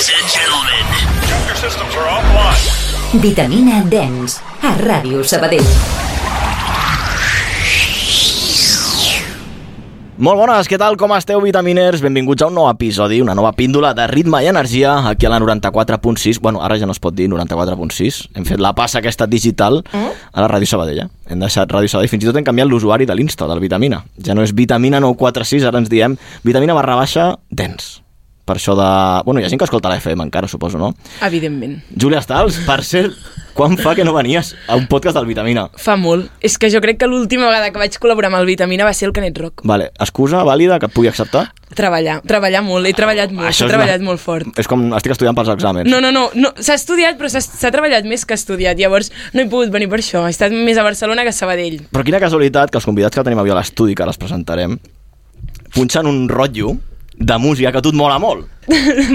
Ladies and gentlemen, your systems are offline. Vitamina Dance a Ràdio Sabadell. Molt bones, què tal? Com esteu, vitaminers? Benvinguts a un nou episodi, una nova píndola de ritme i energia aquí a la 94.6. Bueno, ara ja no es pot dir 94.6. Hem fet la passa aquesta digital a la Ràdio Sabadell. Hem deixat Ràdio Sabadell, fins i tot hem canviat l'usuari de l'Insta, del Vitamina. Ja no és Vitamina 946, ara ens diem Vitamina_Dance. Per això de... Bueno, hi ha gent que escolta la FM encara, suposo, no? Evidentment. Júlia Stals, per cert, quan fa que no venies a un podcast del Vitamina? Fa molt. És que jo crec que l'última vegada que vaig col·laborar amb el Vitamina va ser el Canet Rock. Vale, excusa vàlida que et pugui acceptar? Treballar molt. He treballat molt, he treballat molt fort. És com estic estudiant pels exàmens. No. S'ha estudiat, però s'ha treballat més que estudiat. Llavors no he pogut venir per això. He estat més a Barcelona que a Sabadell. Però quina casualitat que els convidats que tenim avui a l'estudi, que les presentarem, punxen un rotllo de música que a tu et mola molt.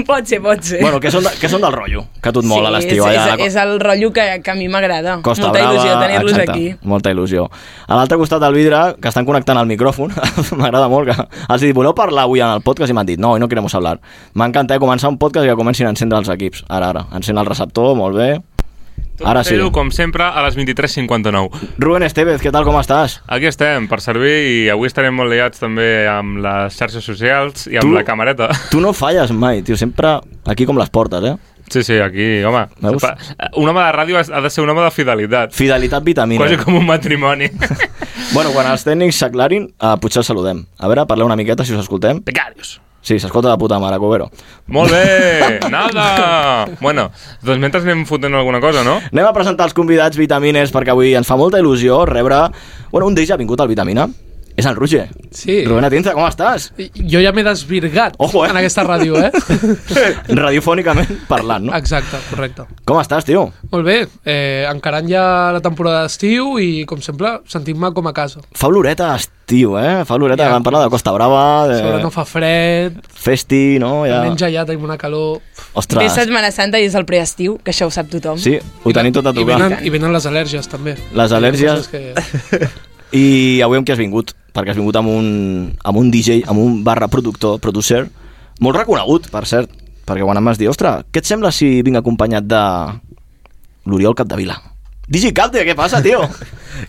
Pot ser. Bueno, què són del rotllo que a tu et mola a l'estiu? És el rotllo que a mi m'agrada. Costa Molta Brava, il·lusió tenir-los exacte, aquí. Molta il·lusió. A l'altre costat del vidre, que estan connectant el micròfon, m'agrada molt que els dic, voleu parlar avui en el podcast? I m'han dit, no, hoy no queremos hablar. M'encanta començar un podcast i que comencin a encendre els equips. Ara. Encén el receptor, molt bé. Tot Ara sí. Com sempre, a les 23:59. Rubén Estevez, què tal, com estàs? Aquí estem, per servir, i avui estarem molt liats també amb les xarxes socials i amb la camareta. Tu no falles mai, tio, sempre aquí com les portes, eh? Sí, aquí, home. Veus? Un home de ràdio ha de ser un home de fidelitat. Fidelitat vitamina. Quasi com un matrimoni. Bueno, quan els tècnics s'aclarin, potser els saludem. A veure, parleu una miqueta, si us escoltem. Becarios. Sí, s'escolta de puta mare, Covero. Molt bé, nada! Bueno, doncs mentre anem fotent alguna cosa, no? Anem a presentar els convidats vitamines, perquè avui ens fa molta il·lusió rebre... Bueno, un d'ells ha vingut al Vitamina. És el Roger. Sí. Rubén Atienza, com estàs? Jo ja m'he desvirgat. Ojo, en aquesta ràdio, Radiofònicament parlant, no? Exacte, correcte. Com estàs, tio? Molt bé, encarant ja la temporada d'estiu i, com sempre, sentint-me com a casa. Fa oloreta estiu, eh? Fa oloreta, vam parlar de Costa Brava, Sobre no fa fred, festi, no? Ja... menja ja tenim una calor... Ostres. Ve Setmana Santa i és el preestiu, que això ho sap tothom. Sí, ho tenim tot a tocar. I venen les al·lèrgies, també. Les al·lèrgies... I avui amb qui has vingut? Perquè has vingut amb un DJ, amb un producer, molt reconegut, per cert, perquè quan em vas dir, ostres, què et sembla si vinc acompanyat de l'Oriol Capdevila? DJ Capde, què passa, tio?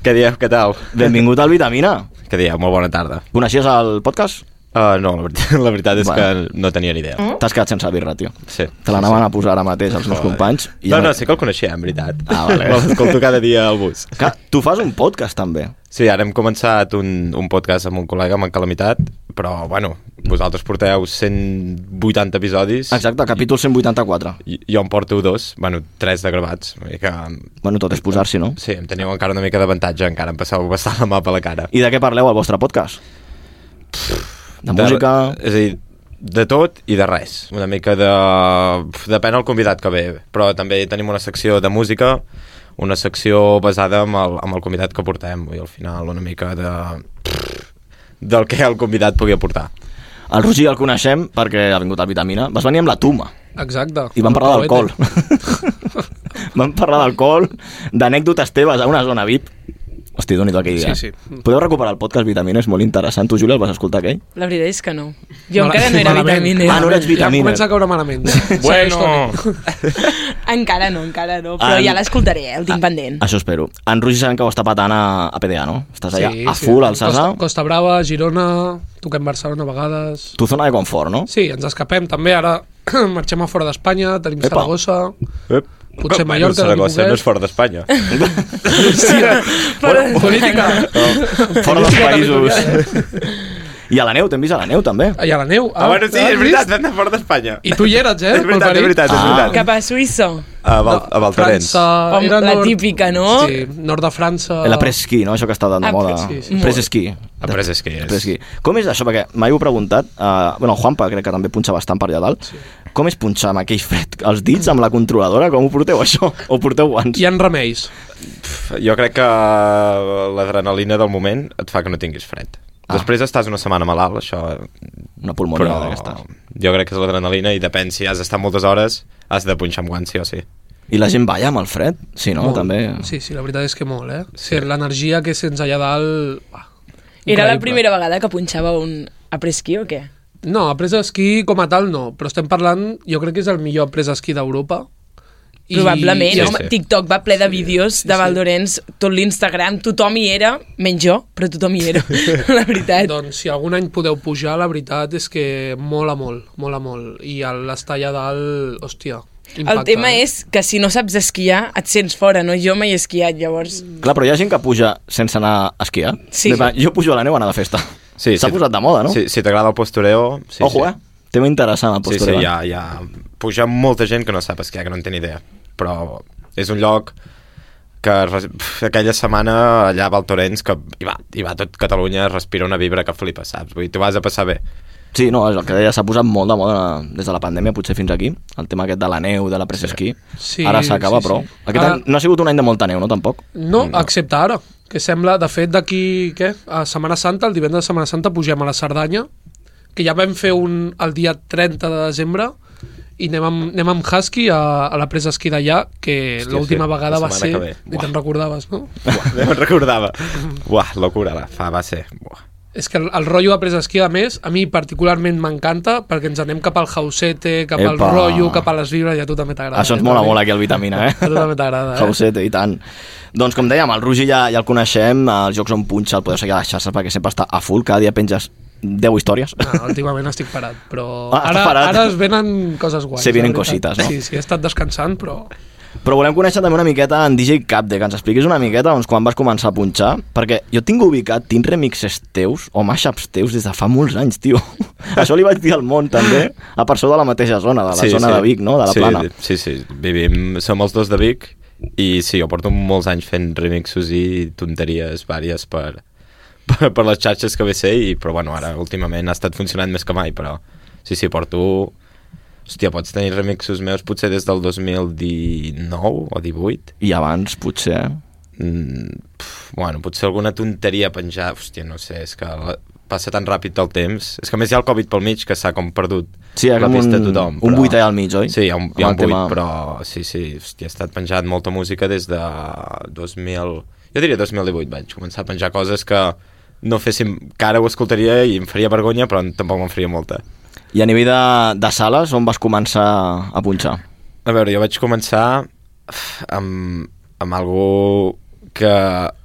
Què dieu, què tal? Benvingut al Vitamina. Què dieu, molt bona tarda. Coneixies el podcast? No, la veritat és que no tenia ni idea. T'has quedat sense birra, tio. Sí. Te l'anaven a posar ara mateix els meus companys. I no, sí que el coneixia, en veritat. Vale. L'escolto cada dia al bus. Tu fas un podcast, també. Sí, ara hem començat un podcast amb un col·lega, amb en Calamitat, però, bueno, vosaltres porteu 180 episodis. Exacte, capítol 184. Jo en porto 2, bueno, 3 de gravats. Bueno, tot és posar-s'hi, no? Sí, em teniu encara una mica d'avantatge, encara em passeu bastant la mà per la cara. I de què parleu al vostre podcast? De música... És a dir, de tot i de res. Una mica de... Depèn del convidat que ve, però també tenim una secció de música, una secció basada en el convidat que portem, i al final una mica del que el convidat pugui aportar. El Roger el coneixem perquè ha vingut al Vitamina. Vas venir amb la Tuma. Exacte. I vam parlar d'alcohol. Vam parlar d'alcohol, d'anècdotes teves a una zona VIP. Hosti, doni-t'ho aquell dia. Sí. Podeu recuperar el podcast Vitamina, és molt interessant. Tu, Júlia, el vas escoltar aquell? La veritat és que no. Jo encara no era vitaminer. Ah, no eres vitaminer. Ja comença a caure malament. Bueno! Encara no. Però ja l'escoltaré, el tinc pendent. Això espero. En Roger sabem que ho està patant a PDA, no? Estàs allà a full, al Sasa. Costa Brava, Girona, toquem Barcelona a vegades. Tu zona de confort, no? Sí, ens escapem també. Ara marxem a fora d'Espanya, tenim Saragossa... Potser Mallorca, Saragossa no és fora d'Espanya. Política. Fora dels països. I a la neu, t'hem vist a la neu, també. I a la neu. Bueno, sí, és veritat, vam anar fora d'Espanya. I tu hi eres, És veritat. Cap a Suïssa. A Valtorrents. La típica, no? Sí, nord de França. La presquí, no? Això que està de moda. sí. Presesquí. Presesquí. Com és això? Perquè mai ho he preguntat. Bueno, el Juanpa crec que també punxa bastant per allà dalt. Com és punxar amb aquell fred? Els dits amb la controladora? Com ho porteu, això? O porteu guants? Hi ha remeis. Jo crec que l'adrenalina del moment et fa que no tinguis fred. Després estàs una setmana malalt, això... Una pulmonia d'aquesta. Jo crec que és l'adrenalina i depèn si has d'estar moltes hores, has de punxar amb guants, sí o sí. I la gent balla amb el fred? Sí, no? Molt. També. Sí, la veritat és que molt, eh? Sí. L'energia que sents allà dalt... Era la primera vegada que punxava un après-ski o què? No, après d'esquí com a tal no, però estem parlant, jo crec que és el millor après d'esquí d'Europa. Probablement, home, sí. TikTok va ple de vídeos de Val d'Orens, tot l'Instagram, tothom hi era, menys jo, però tothom hi era, la veritat. Doncs si algun any podeu pujar, la veritat és que mola molt. I l'estar allà dalt, hòstia, impacta. El tema és que si no saps esquiar, et sents fora, no? Jo mai he esquiat, llavors... Clar, però hi ha gent que puja sense anar a esquiar. Sí. Jo pujo a la neu a anar de festa. Sí, S'ha posat de moda, no? Si t'agrada el postureo... Sí, Ojo, tema interessant, el Sí, postureo. hi ha puja molta gent que no sap esquiar, que no en té ni idea. Però és un lloc que aquella setmana allà a Val d'Orens, que hi va tot Catalunya, respira una vibra que flipa, saps? Vull dir, t'ho vas a passar bé. Sí, no, és el que deia, s'ha posat molt de moda des de la pandèmia, potser fins aquí, el tema aquest de la neu, de la pressa-esquí. Sí, Ara s'acaba, sí. però... Aquest any no ha sigut un any de molta neu, no, tampoc? No, excepte ara, que sembla, de fet, d'aquí, a Setmana Santa, el divendres de Setmana Santa, pugem a la Cerdanya, que ja vam fer el dia 30 de desembre, i anem amb Husky a la presa esquí d'allà, que l'última vegada va ser... Ni te'n recordaves, no? No me'n recordava. Buah, locura, va ser... Buah. És que el rotllo de presa esquí, a més, a mi particularment m'encanta, perquè ens anem cap al Hausete, cap al rotllo, cap a les vibres, i a tu també t'agrada. Això ens mola molt aquí al Vitamina, A tu també t'agrada, Hausete, i tant. Doncs com dèiem, el Rugi ja el coneixem, els jocs on punxa el podeu seguir a les xarxes perquè sempre està a full, cada dia penges 10 històries. No, últimament estic parat, però estàs parat? Ara es venen coses guais. Se vienen la veritat. cositas, no? Sí, he estat descansant, però... Però volem conèixer també una miqueta en DJ Capde, que ens expliquis una miqueta doncs, quan vas començar a punxar, perquè jo tinc ubicat, tinc remixes teus o mashups teus des de fa molts anys, tio. Això li vaig dir al món també, a persona de la mateixa zona, de la zona de Vic, no? De la Plana. Sí, som els dos de Vic i sí, jo porto molts anys fent remixos i tonteries vàries per les xarxes que ve ser, però bueno, ara últimament ha estat funcionant més que mai, però sí, porto... Hòstia, pots tenir remixos meus potser des del 2019 o 18. I abans, potser... Bueno, potser alguna tonteria penjar... Hòstia, no sé, és que passa tan ràpid el temps. És que a més hi ha el Covid pel mig que s'ha com perdut la pista de tothom. Un buit allà al mig, oi? Sí, hi ha un buit, però sí, hòstia, he estat penjat molta música des de 2000... Jo diria 2018 vaig començar a penjar coses que no féssim... que ara ho escoltaria i em faria vergonya, però tampoc me'n faria molta. I a nivell de sales, on vas començar a punxar? A veure, jo vaig començar amb algo que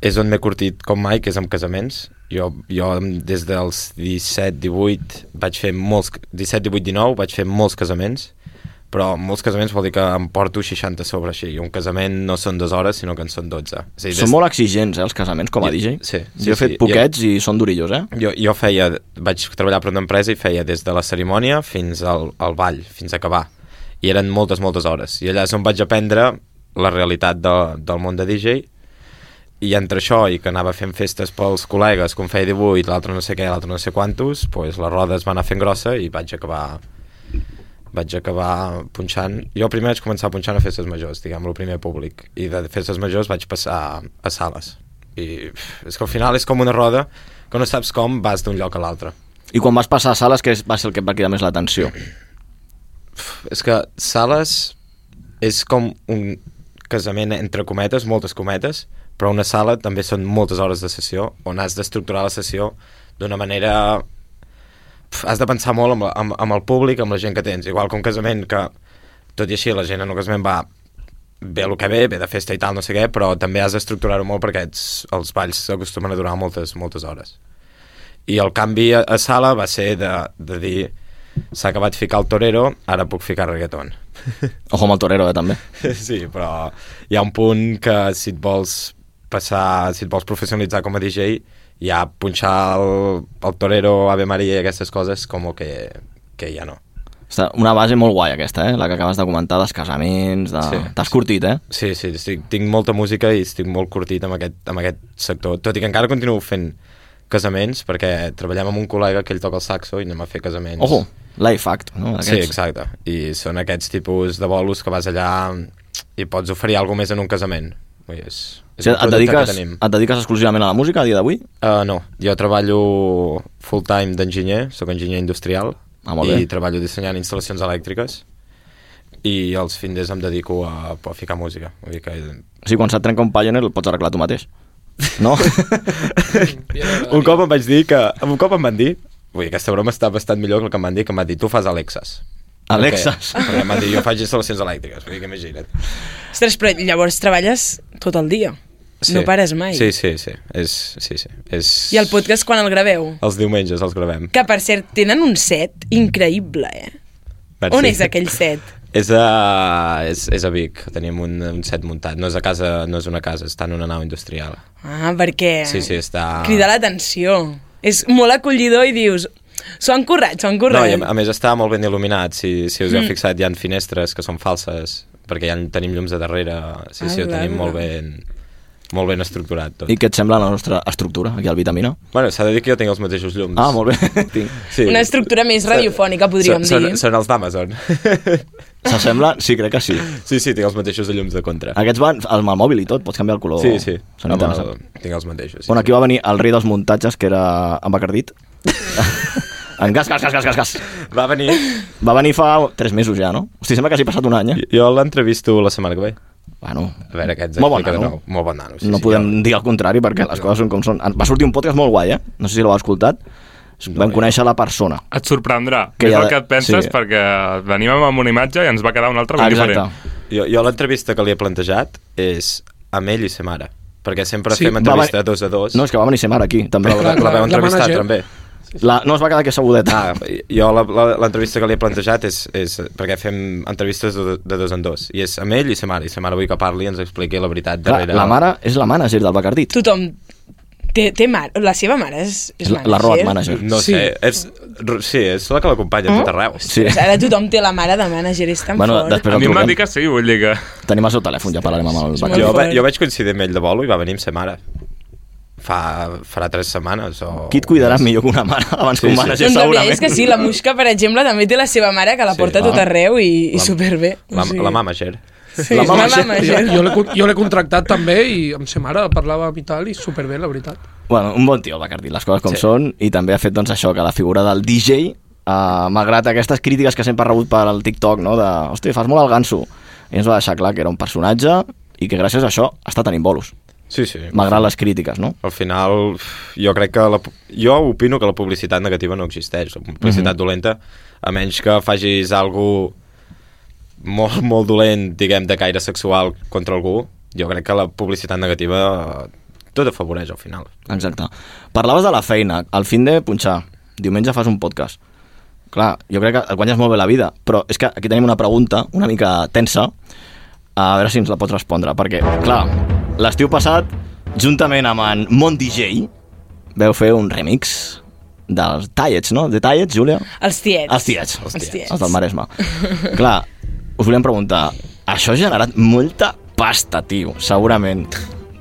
és on m'he curtit com mai, que és amb casaments. Jo des dels 17-18 vaig fer molts... 17-18-19 vaig fer molts casaments, però molts casaments vol dir que em porto 60 sobre així. I un casament no són 2 hores, sinó que en són 12. Són molt exigents, els casaments, com a DJ. Sí. Jo he fet poquets i són durillos, Jo vaig treballar per una empresa i feia des de la cerimònia fins al ball, fins a acabar. I eren moltes hores. I allà és on vaig aprendre la realitat del món de DJ. I entre això i que anava fent festes pels col·legues, com feia 18, l'altre no sé què, l'altre no sé quantos, doncs la roda es va anar fent grossa i vaig acabar punxant. Jo primer vaig començar punxant a festes majors, diguem, el primer públic, i de festes majors vaig passar a sales. I és que al final és com una roda que no saps com vas d'un lloc a l'altre. I quan vas passar a sales, què va ser el que et va cridar més l'atenció? És que sales és com un casament entre cometes, moltes cometes, però una sala també són moltes hores de sessió on has d'estructurar la sessió d'una manera... Has de pensar molt amb el públic, amb la gent que tens, igual que un casament que, tot i així, la gent en un casament va bé el que ve de festa i tal, no sé què, però també has d'estructurar-ho molt perquè els balls s'acostumen a durar moltes hores. I el canvi a sala va ser de dir s'ha acabat ficar el torero, ara puc ficar reggaeton. Ojo amb el torero, també. Sí, però hi ha un punt que si et vols professionalitzar com a DJ, ja punxar el torero, Ave Maria i aquestes coses com que ja no. Una base molt guai aquesta, la que acabes de comentar, dels casaments, Sí. T'has curtit, Sí, tinc molta música i estic molt curtit amb aquest sector, tot i que encara continuo fent casaments, perquè treballem amb un col·lega que ell toca el saxo i anem a fer casaments. Ojo, life act, no? Sí, exacte, i són aquests tipus de bolos que vas allà i pots oferir alguna més en un casament. Et dediques exclusivament a la música a dia d'avui? No, jo treballo full time d'enginyer, sóc enginyer industrial i treballo dissenyant instal·lacions elèctriques i els fins em dedico a ficar música. Sí, quan se't trenca un Pioneer el pots arreglar tu mateix, no? Un cop em van dir Vull dir, aquesta broma està bastant millor que el que em van dir, tu fas Alexas. Alexas. Perquè em van dir, jo faig instal·lacions elèctriques, vull dir que imagina't. Ostres, però llavors treballes tot el dia. Sí. No pares mai. Sí. I el podcast quan el graveu? Els diumenges els gravem. Que, per cert, tenen un set increïble, Merci. On és aquell set? És a Vic, tenim un set muntat. No és a casa, no és una casa, està en una nau industrial. Ah, perquè Sí, està... crida l'atenció. És molt acollidor i dius, s'ho han currat. No, i a més està molt ben il·luminat. Si us heu fixat, hi ha finestres que són falses, perquè ja tenim llums de darrere. Sí, ho tenim molt ben estructurat tot. I què et sembla la nostra estructura aquí al Vitamina? Bueno, s'ha de dir que jo tinc els mateixos llums. Ah, molt bé. Sí. Una estructura més radiofònica, podríem dir. Són els d'Amazon. S'assembla? Sí, crec que sí. Sí, tinc els mateixos llums de contra. Aquests van amb el mòbil i tot, pots canviar el color. Sí. Tinc els mateixos. Bueno, aquí va venir el rei dels muntatges, que era en Bacardit. En gas. Va venir fa 3 mesos ja, no? Hosti, sembla que hagi passat un any, eh? Jo l'entrevisto la setmana que ve. Bueno, a veure, aquests molt bon nano. Molt bon nano. No podem dir el contrari perquè les coses són com són. Va sortir un podcast molt guai, eh? No sé si l'heu escoltat. Vam conèixer la persona. Et sorprendrà, Que és ja- el que et penses, sí. perquè venim amb una imatge i ens va quedar una altra ben Exacte. diferent. Jo l'entrevista que li he plantejat és amb ell i sa mare, perquè sempre Sí, fem entrevista 2 a 2. No, és que va venir ser mare aquí, també. la clar, veu la entrevistar manager. també. No es va quedar aquí sabudeta. Jo l'entrevista que li he plantejat és perquè fem entrevistes de 2 en 2, i és amb ell i sa mare vull que parli i ens expliqui la veritat Clar, darrere. la mare és la mànager del Bacardit. Tothom té mare. La seva mare és La road manager. No Sí. sé, és la que l'acompanya a tot arreu. Sí. Ara tothom té la mare de manager, és tan Bueno, fort. després A el mi em van truquem. dir que sí, vull dir que... Tenim el seu telèfon, ja parlarem amb el molt Bacardit. fort. Jo vaig coincidir amb ell de bolo i va venir amb sa mare. Farà 3 setmanes o... Qui et cuidarà millor que una mare abans que un Sí. mànager, Doncs la veritat segurament? és que sí, la Muixca, per exemple, també té la seva mare, que la porta a tot arreu i superbé. La mamager. Sí, la la mamager. mamager. Jo l'he contractat també i amb sa mare parlava i tal, i superbé, la veritat. Bueno, un bon tio, el Bacardit, les coses com són, i també ha fet doncs, això, que la figura del DJ, malgrat aquestes crítiques que sempre ha rebut per al TikTok, no? de, hosti, fas molt el ganso, i ens va deixar clar que era un personatge i que gràcies a això està tenint bolos, Sí. malgrat les crítiques, no? Al final, jo crec que... Jo opino que la publicitat negativa no existeix. La publicitat dolenta, a menys que facis algú molt, molt dolent, diguem, de caire sexual contra algú, jo crec que la publicitat negativa tot afavoreix al final. Exacte. Parlaves de la feina, al fin de punxar, diumenge fas un podcast. Clar, jo crec que et guanyes molt bé la vida, però és que aquí tenim una pregunta una mica tensa, a veure si ens la pots respondre, perquè, clar, l'estiu passat, juntament amb en Mon DJ, veu fer un remix dels Tallets, no? De Tallets, Júlia? Els tiets. Els tiets. Els tiets. Els del Maresme. Clar, us volíem preguntar, això ha generat molta pasta, tio, segurament.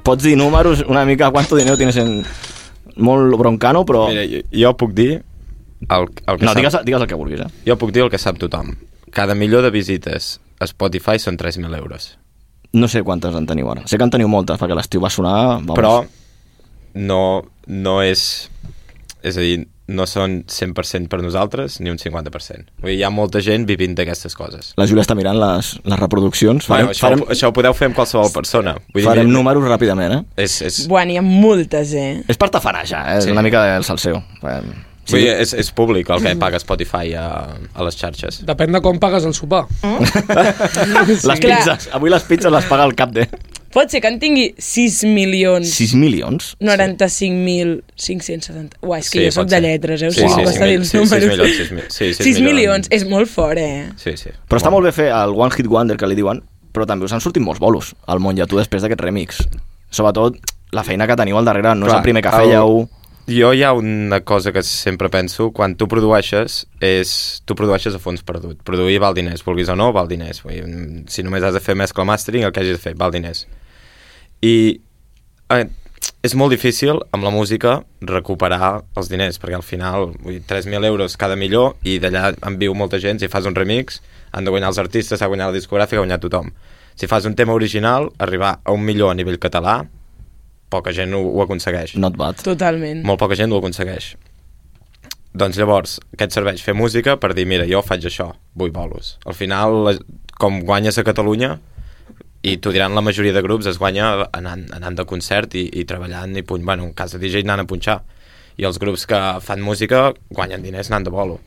Pots dir números una mica, quanto dinero tienes en... Molt broncano, però... Mira, jo puc dir el que No, sap... digues el que vulguis, eh? Jo puc dir el que sap tothom. Cada milió de visites a Spotify són 3.000 euros. No sé quantes en teniu ara. Sé que en teniu moltes, perquè l'estiu va sonar... Vamos. Però no és... És a dir, no són 100% per nosaltres ni un 50%. Vull dir, hi ha molta gent vivint d'aquestes coses. La Júlia està mirant les reproduccions. Bueno, això ho podeu fer amb qualsevol persona. Vull dir, farem números ràpidament, eh? És, Buah, n'hi ha moltes, És per tafanejar, eh? Sí. És una mica del salseo. vull dir, és públic el que paga Spotify a les xarxes. Depèn de com pagues el sopar. Les Clar. pizzas. Avui les pizzas les paga el cap de... Pot ser que en tingui 6 milions... 6 milions? 95.570... Uah, és que jo pot soc de ser. lletres, eh? O Sí, sigui, sí, costa dir els 6 números. milions, 6 milions, és molt fort, eh? Sí. Però està molt bé fer el One Hit Wonder, que li diuen, però també us han sortit molts bolos al món i a tu després d'aquest remix. Sobretot, la feina que teniu al darrere no és el primer que fèieu... Jo hi ha una cosa que sempre penso, quan tu produeixes a fons perdut. Produir val diners, vulguis o no, val diners. Vull dir, si només has de fer mescla mastering, el que hagis de fer, val diners. I és molt difícil amb la música recuperar els diners, perquè al final 3.000 euros cada milió i d'allà en viu molta gent. Si fas un remix, han de guanyar els artistes, ha guanyat la discogràfica, ha guanyat tothom. Si fas un tema original, arribar a 1 milió a nivell català, poca gent ho aconsegueix. Not bad. Totalment. Molt poca gent ho aconsegueix. Doncs llavors, què et serveix? Fer música per dir, mira, jo faig això, vull bolos. Al final, com guanyes a Catalunya, i t'ho diran la majoria de grups, es guanya anant de concert i treballant, i bueno, en cas de DJ anant a punxar. I els grups que fan música guanyen diners anant de bolo,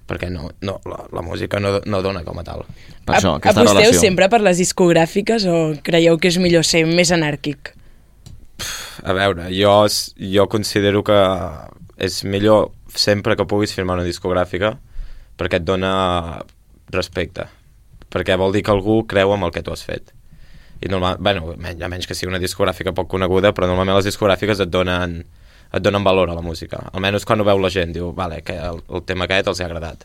perquè la música no dona com a tal. Per això, aquesta aposteu relació. sempre per les discogràfiques o creieu que és millor ser més anàrquic? A veure, jo considero que és millor sempre que puguis firmar una discogràfica, perquè et dona respecte, perquè vol dir que algú creu en el que tu has fet. I a menys que sigui una discogràfica poc coneguda, però normalment les discogràfiques et donen valor a la música. Almenys quan ho veu la gent, diu, vale, que el tema aquest els ha agradat.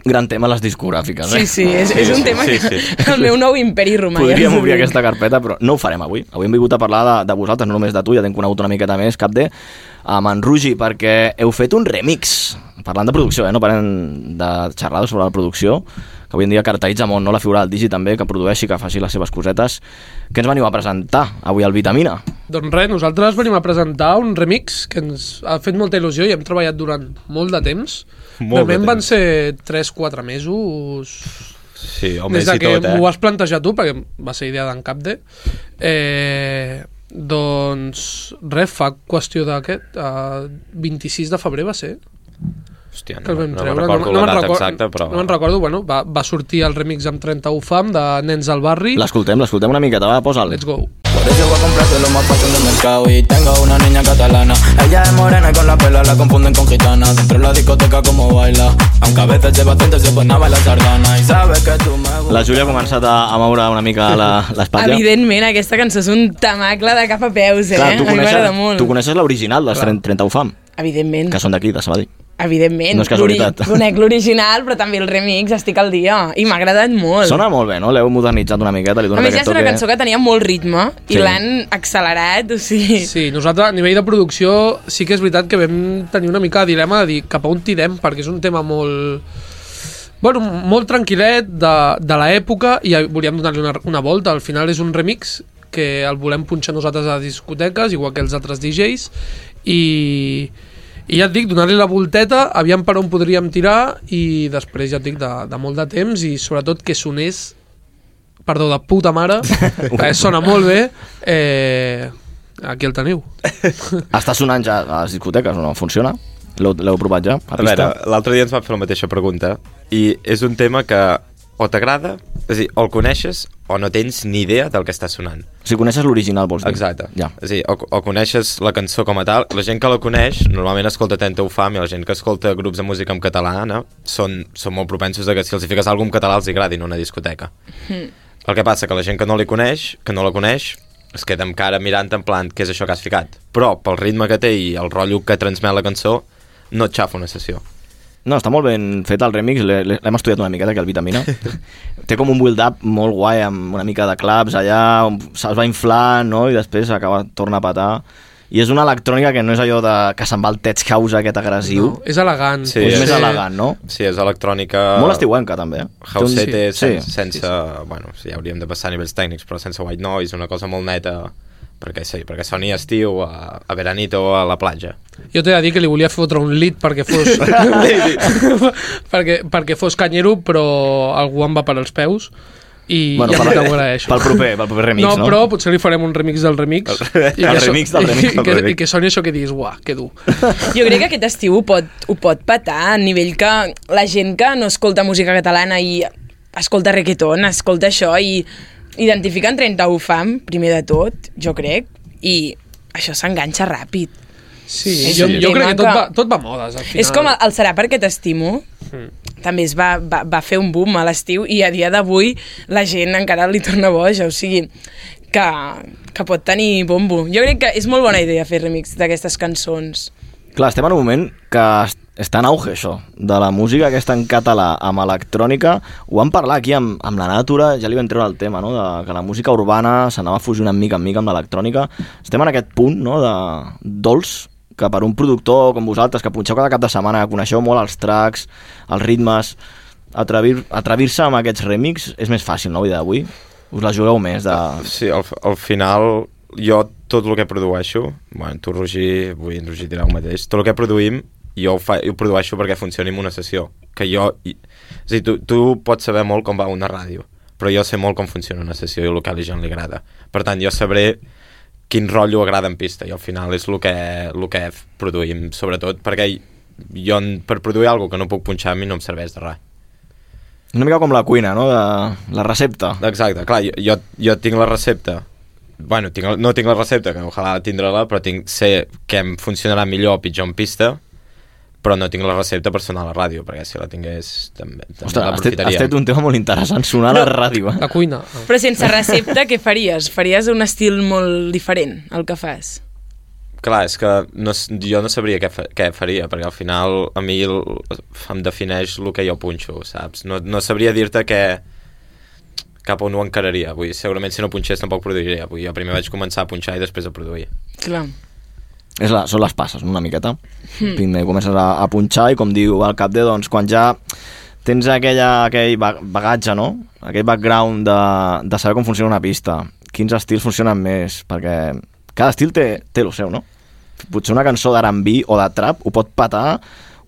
Gran tema, les discogràfiques, eh? Sí, és un tema que el meu nou imperi romà. Podríem obrir aquesta carpeta, però no ho farem avui. Avui hem vingut a parlar de vosaltres, no només de tu, ja t'hem conegut una miqueta més, Capde, amb en Rugi, perquè heu fet un remix. Parlant de producció, no parlem de xerrades sobre la producció, que avui en dia caracteritza molt, no? La figura del Digi també, que produeixi, que faci les seves cosetes. Què ens veniu a presentar avui al Vitamina? Doncs res, nosaltres venim a presentar un remix que ens ha fet molta il·lusió i hem treballat durant molt de temps. Normalment van ser 3-4 mesos Sí, o des més de i que tot, m'ho vas plantejar tu, perquè va ser idea d'en Capde. Doncs res, fa qüestió d'aquest 26 de febrer va ser Hòstia, que el vam no treure. recordo la data exacta, però... No me'n recordo, bueno, va sortir el remix amb 31 fam de Nens al Barri. L'escoltem una miqueta, va, posa'l. Let's go. Por eso voy a comprarte lo más fashion del mercado. Y tengo una niña catalana. Ella es morena y con la pela la confunden con gitana. Dentro de la discoteca como baila. Aunque a veces lleva tinta se pone a bailar sardana. Y sabes que tú me gustas. La Júlia ha començat a moure una mica l'espatlla. Evidentment, aquesta cançó és un tamacle de cap a peus, Clar, a mi m'agrada molt. tu coneixes l'original dels 31 fam, Evidentment. que són d'aquí, de Sabadell. Evidentment. No és casualitat. Conec l'original, però també el remix, estic al dia. I m'ha agradat molt. Sona molt bé, no? L'heu modernitzat una miqueta, li A donat més, ja aquest és una toque. cançó que tenia molt ritme i Sí. l'han accelerat, o sigui... Sí, nosaltres a nivell de producció sí que és veritat que vam tenir una mica de dilema de dir cap a on tirem, perquè és un tema molt... Bueno, molt tranquil·let de l'època i volíem donar-li una volta. Al final és un remix que el volem punxar nosaltres a discoteques, igual que els altres DJs, i ja et dic, donar-li la volteta, aviam per on podríem tirar, i després ja et dic de molt de temps, i sobretot que sonés, perdó, de puta mare, sona molt bé, aquí el teniu. Està sonant ja a les discoteques, no? Funciona? L'heu provat ja? A veure, l'altre dia ens va fer la mateixa pregunta i és un tema que o t'agrada, és a dir, o el coneixes o no tens ni idea del que està sonant. Si coneixes l'original, vols dir? Exacte. Ja. És a dir, o coneixes la cançó com a tal, la gent que la coneix normalment escolta Tenta Ufam, i la gent que escolta grups de música en català són molt propensos a que si els hi fiques alguna en català els agradi en una discoteca. El que passa que la gent que no la coneix es queda amb cara mirant en plan què és això que has ficat, però pel ritme que té i el rotllo que transmet la cançó no et xafa una sessió. No, està molt ben fet el remix, l'hem estudiat una miqueta, que el Vitamina. Té com un build-up molt guai, amb una mica de claps allà, on se'ls va inflar, no?, i després torna a petar. I és una electrònica que no és allò que se'n va el tech house aquest agressiu. No, és elegant. Sí, és més elegant, no? Sí, és electrònica... Molt estiuenca, també. Housete, Sí. sense... Bueno, ja hauríem de passar a nivells tècnics, però sense white noise, una cosa molt neta, perquè soni estiu a veranito a la platja. Jo t'he de dir que li volia fotre un lit perquè fos perquè fos canyero, però algú em va per als peus i Bueno, ja t'ho agraeixo. pel proper remix, no? No, però potser li farem un remix del remix. El remix del remix del remix. I que soni això que diguis, uah, que dur. Jo crec que aquest estiu ho pot petar a nivell que la gent que no escolta música catalana i escolta reggaeton, escolta això i identifiquen 31 fam, primer de tot, jo crec, i això s'enganxa ràpid. Sí, És jo un crec tema que tot va a modes, al final. És com el Serà perquè t'estimo, també es va fer un boom a l'estiu i a dia d'avui la gent encara li torna boja, o sigui que pot tenir bombo. Jo crec que és molt bona idea fer remix d'aquestes cançons. Clar, estem en un moment que està en auge, això, de la música aquesta en català amb electrònica. Ho vam parlar aquí amb la Natura, ja li vam treure el tema, no?, de que la música urbana s'anava fusionant mica en mica amb l'electrònica. Estem en aquest punt, no?, de dolç, que per un productor com vosaltres, que punxeu cada cap de setmana, que coneixeu molt els tracks, els ritmes, atrevir-se amb aquests remix és més fàcil, no?, avui d'avui? Us la jugueu més de... Sí, al final jo tot el que produeixo, bueno, tu Roger, vull en Roger dirà el mateix, tot el que produïm jo ho produeixo perquè funcioni en una sessió, que jo... És a dir, tu pots saber molt com va una ràdio, però jo sé molt com funciona una sessió i el que a la gent li agrada. Per tant, jo sabré quin rotllo agrada en pista, i al final és el que produïm, sobretot perquè jo per produir alguna que no puc punxar a mi no em serveix de res. Una mica com la cuina, no? La recepta. Exacte, clar, jo tinc la recepta, bueno, no tinc la recepta, que ojalà tindre-la, però sé que em funcionarà millor o pitjor en pista, però no tinc la recepta per sonar a la ràdio, perquè si la tingués també l'aprofitaríem. Has fet un tema molt interessant, sonar a la ràdio. La cuina. Però sense recepta, què faries? Faries un estil molt diferent, el que fas? Clar, és que jo no sabria què faria, perquè al final a mi em defineix el que jo punxo, saps? No sabria dir-te cap on ho encararia. Vull dir, segurament si no punxés tampoc produiria. Vull dir, jo primer vaig començar a punxar i després a produir. Clar. Són les passes, una miqueta. Primer comences a punxar i, com diu el Capde, doncs quan ja tens aquell bagatge, no? Aquell background de saber com funciona una pista, quins estils funcionen més, perquè cada estil té el seu, no? Potser una cançó d'R&B o de trap ho pot patar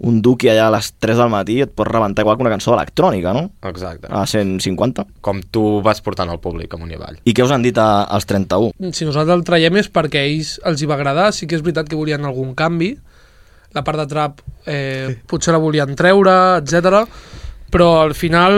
un duqui allà a les 3 del matí, et pot rebentar igual que una cançó electrònica, no? Exacte. A 150. Com tu vas portant al públic amunt i avall. I què us han dit als 31? Si nosaltres el traiem és perquè a ells els hi va agradar, sí que és veritat que volien algun canvi, la part de trap potser la volien treure, etc. Però al final,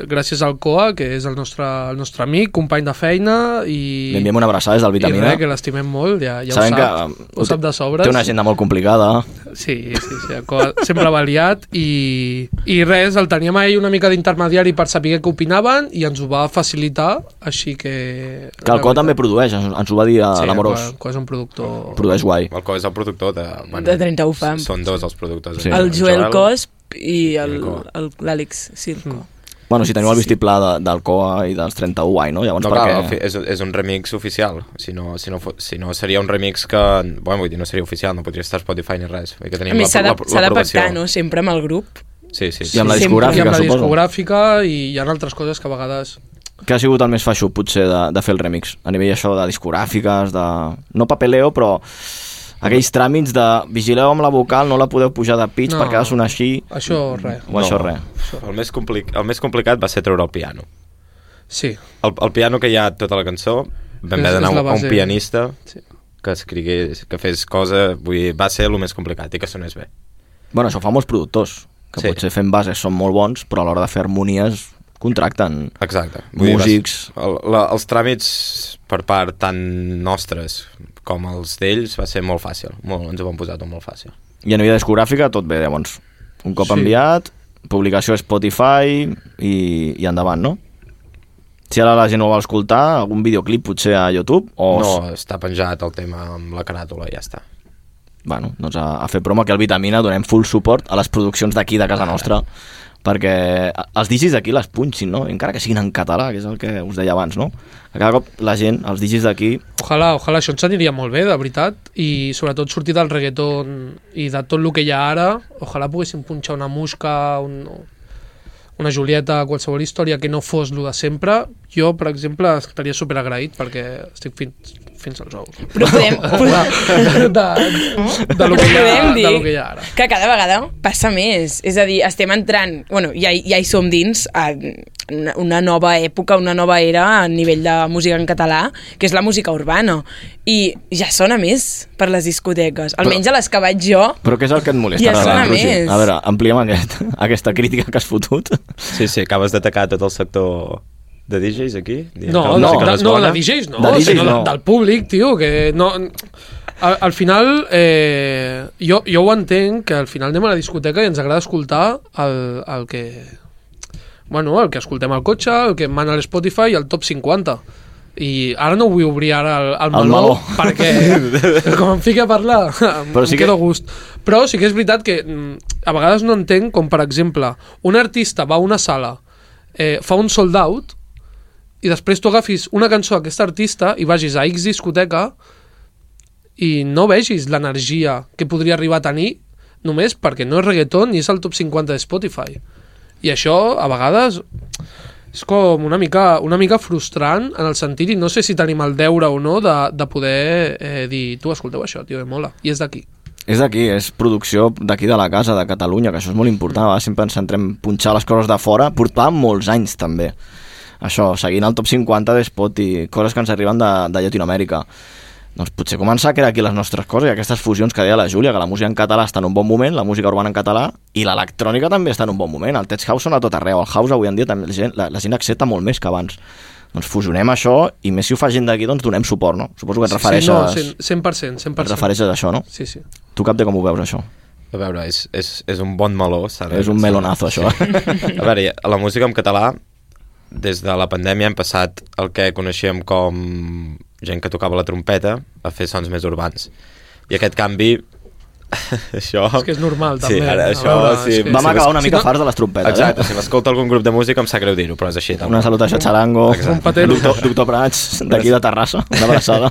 gràcies al Coa, que és el nostre amic, company de feina, i... Li enviem una abraçada des del Vitamina. I que l'estimem molt, ja Sabem ho sap de sobres. Té una agenda molt complicada. Sí, el Coa sempre va liat, i res, el teníem a ell una mica d'intermediari per saber què opinaven, i ens ho va facilitar, així que... Que el Coa també produeix, ens ho va dir a l'Amorós. Sí, el Coa és un productor... Produeix guai. El Coa és el productor de... De 31 Fam. Són dos els productors. Sí. El Joel Cosp i l'Àlex Circo. Bueno, si teniu el vistiplau del Coa i dels 31 guai, no? Llavors, clar, és un remix oficial. Si no seria un remix que... Bueno, vull dir, no seria oficial, no podria estar a Spotify ni res. A més, s'ha de pactar, no? Sempre amb el grup. Sí. I amb la discogràfica, I amb la suposo. discogràfica, i hi ha altres coses que a vegades... Què ha sigut el més feixuc, potser, de fer el remix? A nivell això de discogràfiques, de... No papeleo, però... Aquells tràmits de vigileu amb la vocal, no la podeu pujar de pitch perquè ha de sonar així. Això res. Això res. El més complicat va ser treure el piano. Sí. El piano que hi ha tota la cançó, vam haver d'anar a un pianista que escrigués, que fes cosa, vull dir, va ser el més complicat i que sonés bé. Bueno, això fa molts productors, que potser fent bases són molt bons, però a l'hora de fer harmonies contracten músics. Els tràmits per part tant nostres com els d'ells va ser molt fàcil, ens ho van posar tot molt fàcil. I a nivell discogràfica tot bé, llavors. Un cop enviat, publicació a Spotify i endavant, no? Si ara la gent ho vol escoltar, algun videoclip potser a YouTube? No, està penjat el tema amb la caràtula i ja està. Bueno, doncs a fer promo aquí al Vitamina donem full suport a les produccions d'aquí, de casa nostra, perquè els digis d'aquí les punxin, no? Encara que siguin en català, que és el que us deia abans, no? Que cada cop la gent, els digis d'aquí... Ojalà, això ens aniria molt bé, de veritat, i sobretot sortir del reggaeton i de tot el que hi ha ara, ojalà poguéssim punxar una Musca, una Julieta, qualsevol història que no fos lo de sempre. Jo, per exemple, estaria superagraït perquè estic fins als ous. Però podem de lo que hi ha ara. Que cada vegada passa més. És a dir, estem entrant... Bueno, ja hi som dins a una nova època, una nova era a nivell de música en català, que és la música urbana. I ja sona més per les discoteques. Almenys a les que vaig jo... Però què és el que et molesta? Ja sona més. A veure, ampliem aquesta crítica que has fotut. Sí, acabes d'atacar tot el sector... De DJs aquí? No, de DJs no, sinó del públic, tio, que no... Al final, jo ho entenc, que al final anem a la discoteca i ens agrada escoltar el que... Bueno, el que escoltem al cotxe, el que mana a l'Spotify i el top 50. I ara no vull obrir ara el meló, perquè com em fica a parlar, em quedo a gust. Però sí que és veritat que a vegades no entenc com, per exemple, un artista va a una sala, fa un sold out, i després tu agafis una cançó d'aquest artista i vagis a X discoteca i no vegis l'energia que podria arribar a tenir només perquè no és reggaeton ni és el top 50 de Spotify. I això, a vegades, és com una mica frustrant en el sentit, i no sé si tenim el deure o no de poder dir, tu escolteu això, tio, mola, i és d'aquí. És d'aquí, és producció d'aquí de la casa, de Catalunya, que això és molt important. Sempre ens centrem punxar les coses de fora. Portàvem molts anys, també. això, seguint el top 50 de Spotify, coses que ens arriben de Llatinoamèrica. Doncs potser començar a crear aquí les nostres coses i aquestes fusions que deia la Júlia, que la música en català està en un bon moment, la música urbana en català, i l'electrònica també està en un bon moment. El tech house sona a tot arreu, el house avui en dia també la gent accepta molt més que abans. Doncs fusionem això, i més si ho fa gent d'aquí, doncs donem suport, no? Suposo que et refereixes... Sí, no, 100%. Et refereixes a això, no? Sí. Tu, Capde, com ho veus, això? A veure, és un bon meló. És un melonazo, això. A veure, la música en català, des de la pandèmia hem passat el que coneixíem com gent que tocava la trompeta a fer sons més urbans. I aquest canvi... això... És que és normal, també. Sí, ara, això... Sí, vam acabar una mica farts de les trompetes. Exacte, si m'escolta algun grup de música em sap greu dir-ho, però és així. Una salutació a Charango, Exacte. Doctor Prats, d'aquí de Terrassa, una abraçada.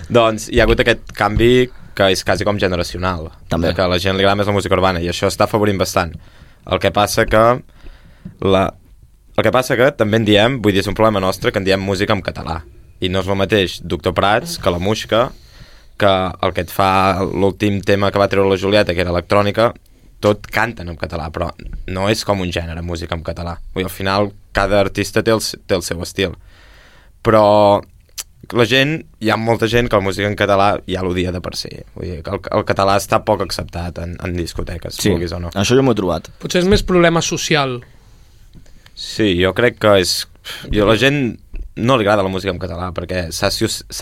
Doncs hi ha hagut aquest canvi que és quasi com generacional. També. Que a la gent li agrada més la música urbana, i això està afavorint bastant. El que passa que també en diem, vull dir, és un problema nostre, que en diem música en català. I no és el mateix Doctor Prats que la Muixca, que el que et fa l'últim tema que va treure la Julieta, que era electrònica, tot canten en català, però no és com un gènere, música en català. Vull dir, al final, cada artista té el seu estil. Però la gent, hi ha molta gent que la música en català ja l'odia de per si. Vull dir, que el català està poc acceptat en discoteques, sí, vulguis o no. Això jo m'ho he trobat. Potser és més problema social. Sí, jo crec que és... La gent no li agrada la música en català perquè s'ha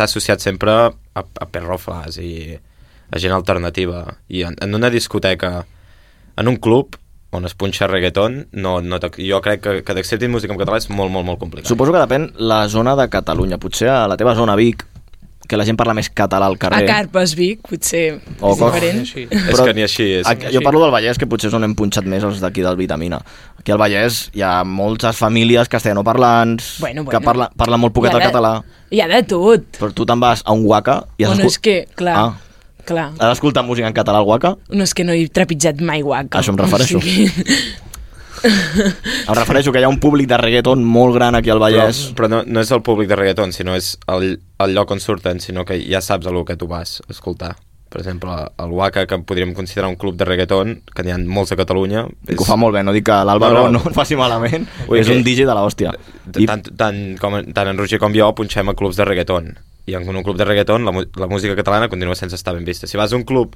associat sempre a perrofles i a gent alternativa. I en una discoteca, en un club on es punxa reggaeton, jo crec que d'acceptin música en català és molt, molt, molt complicat. Suposo que depèn la zona de Catalunya. Potser a la teva zona, Vic, que la gent parla més català al carrer. A Carpes, Vic, potser O és diferent. És que ni així és. Jo parlo del Vallès, que potser és on hem punxat més els d'aquí del Vitamina. Aquí al Vallès hi ha moltes famílies castellanoparlants que parlen molt poquet el català. Hi ha de tot. Però tu te'n vas a un Waka i no és que, clar, clar. Has d'escoltar música en català al Waka? No, és que no he trepitjat mai Waka. A això em refereixo. O sigui... Em refereixo que hi ha un públic de reggaeton molt gran aquí al Vallès. Però no és el públic de reggaeton, sinó és el lloc on surten, sinó que ja saps el que tu vas a escoltar. Per exemple, el Waka, que podríem considerar un club de reggaeton, que n'hi ha molts a Catalunya... Que ho fa molt bé, no dic que l'Àlvaro no ho faci malament, és un DJ de l'hòstia. Tant en Roger com jo punxem a clubs de reggaeton, i en un club de reggaeton la música catalana continua sense estar ben vista. Si vas a un club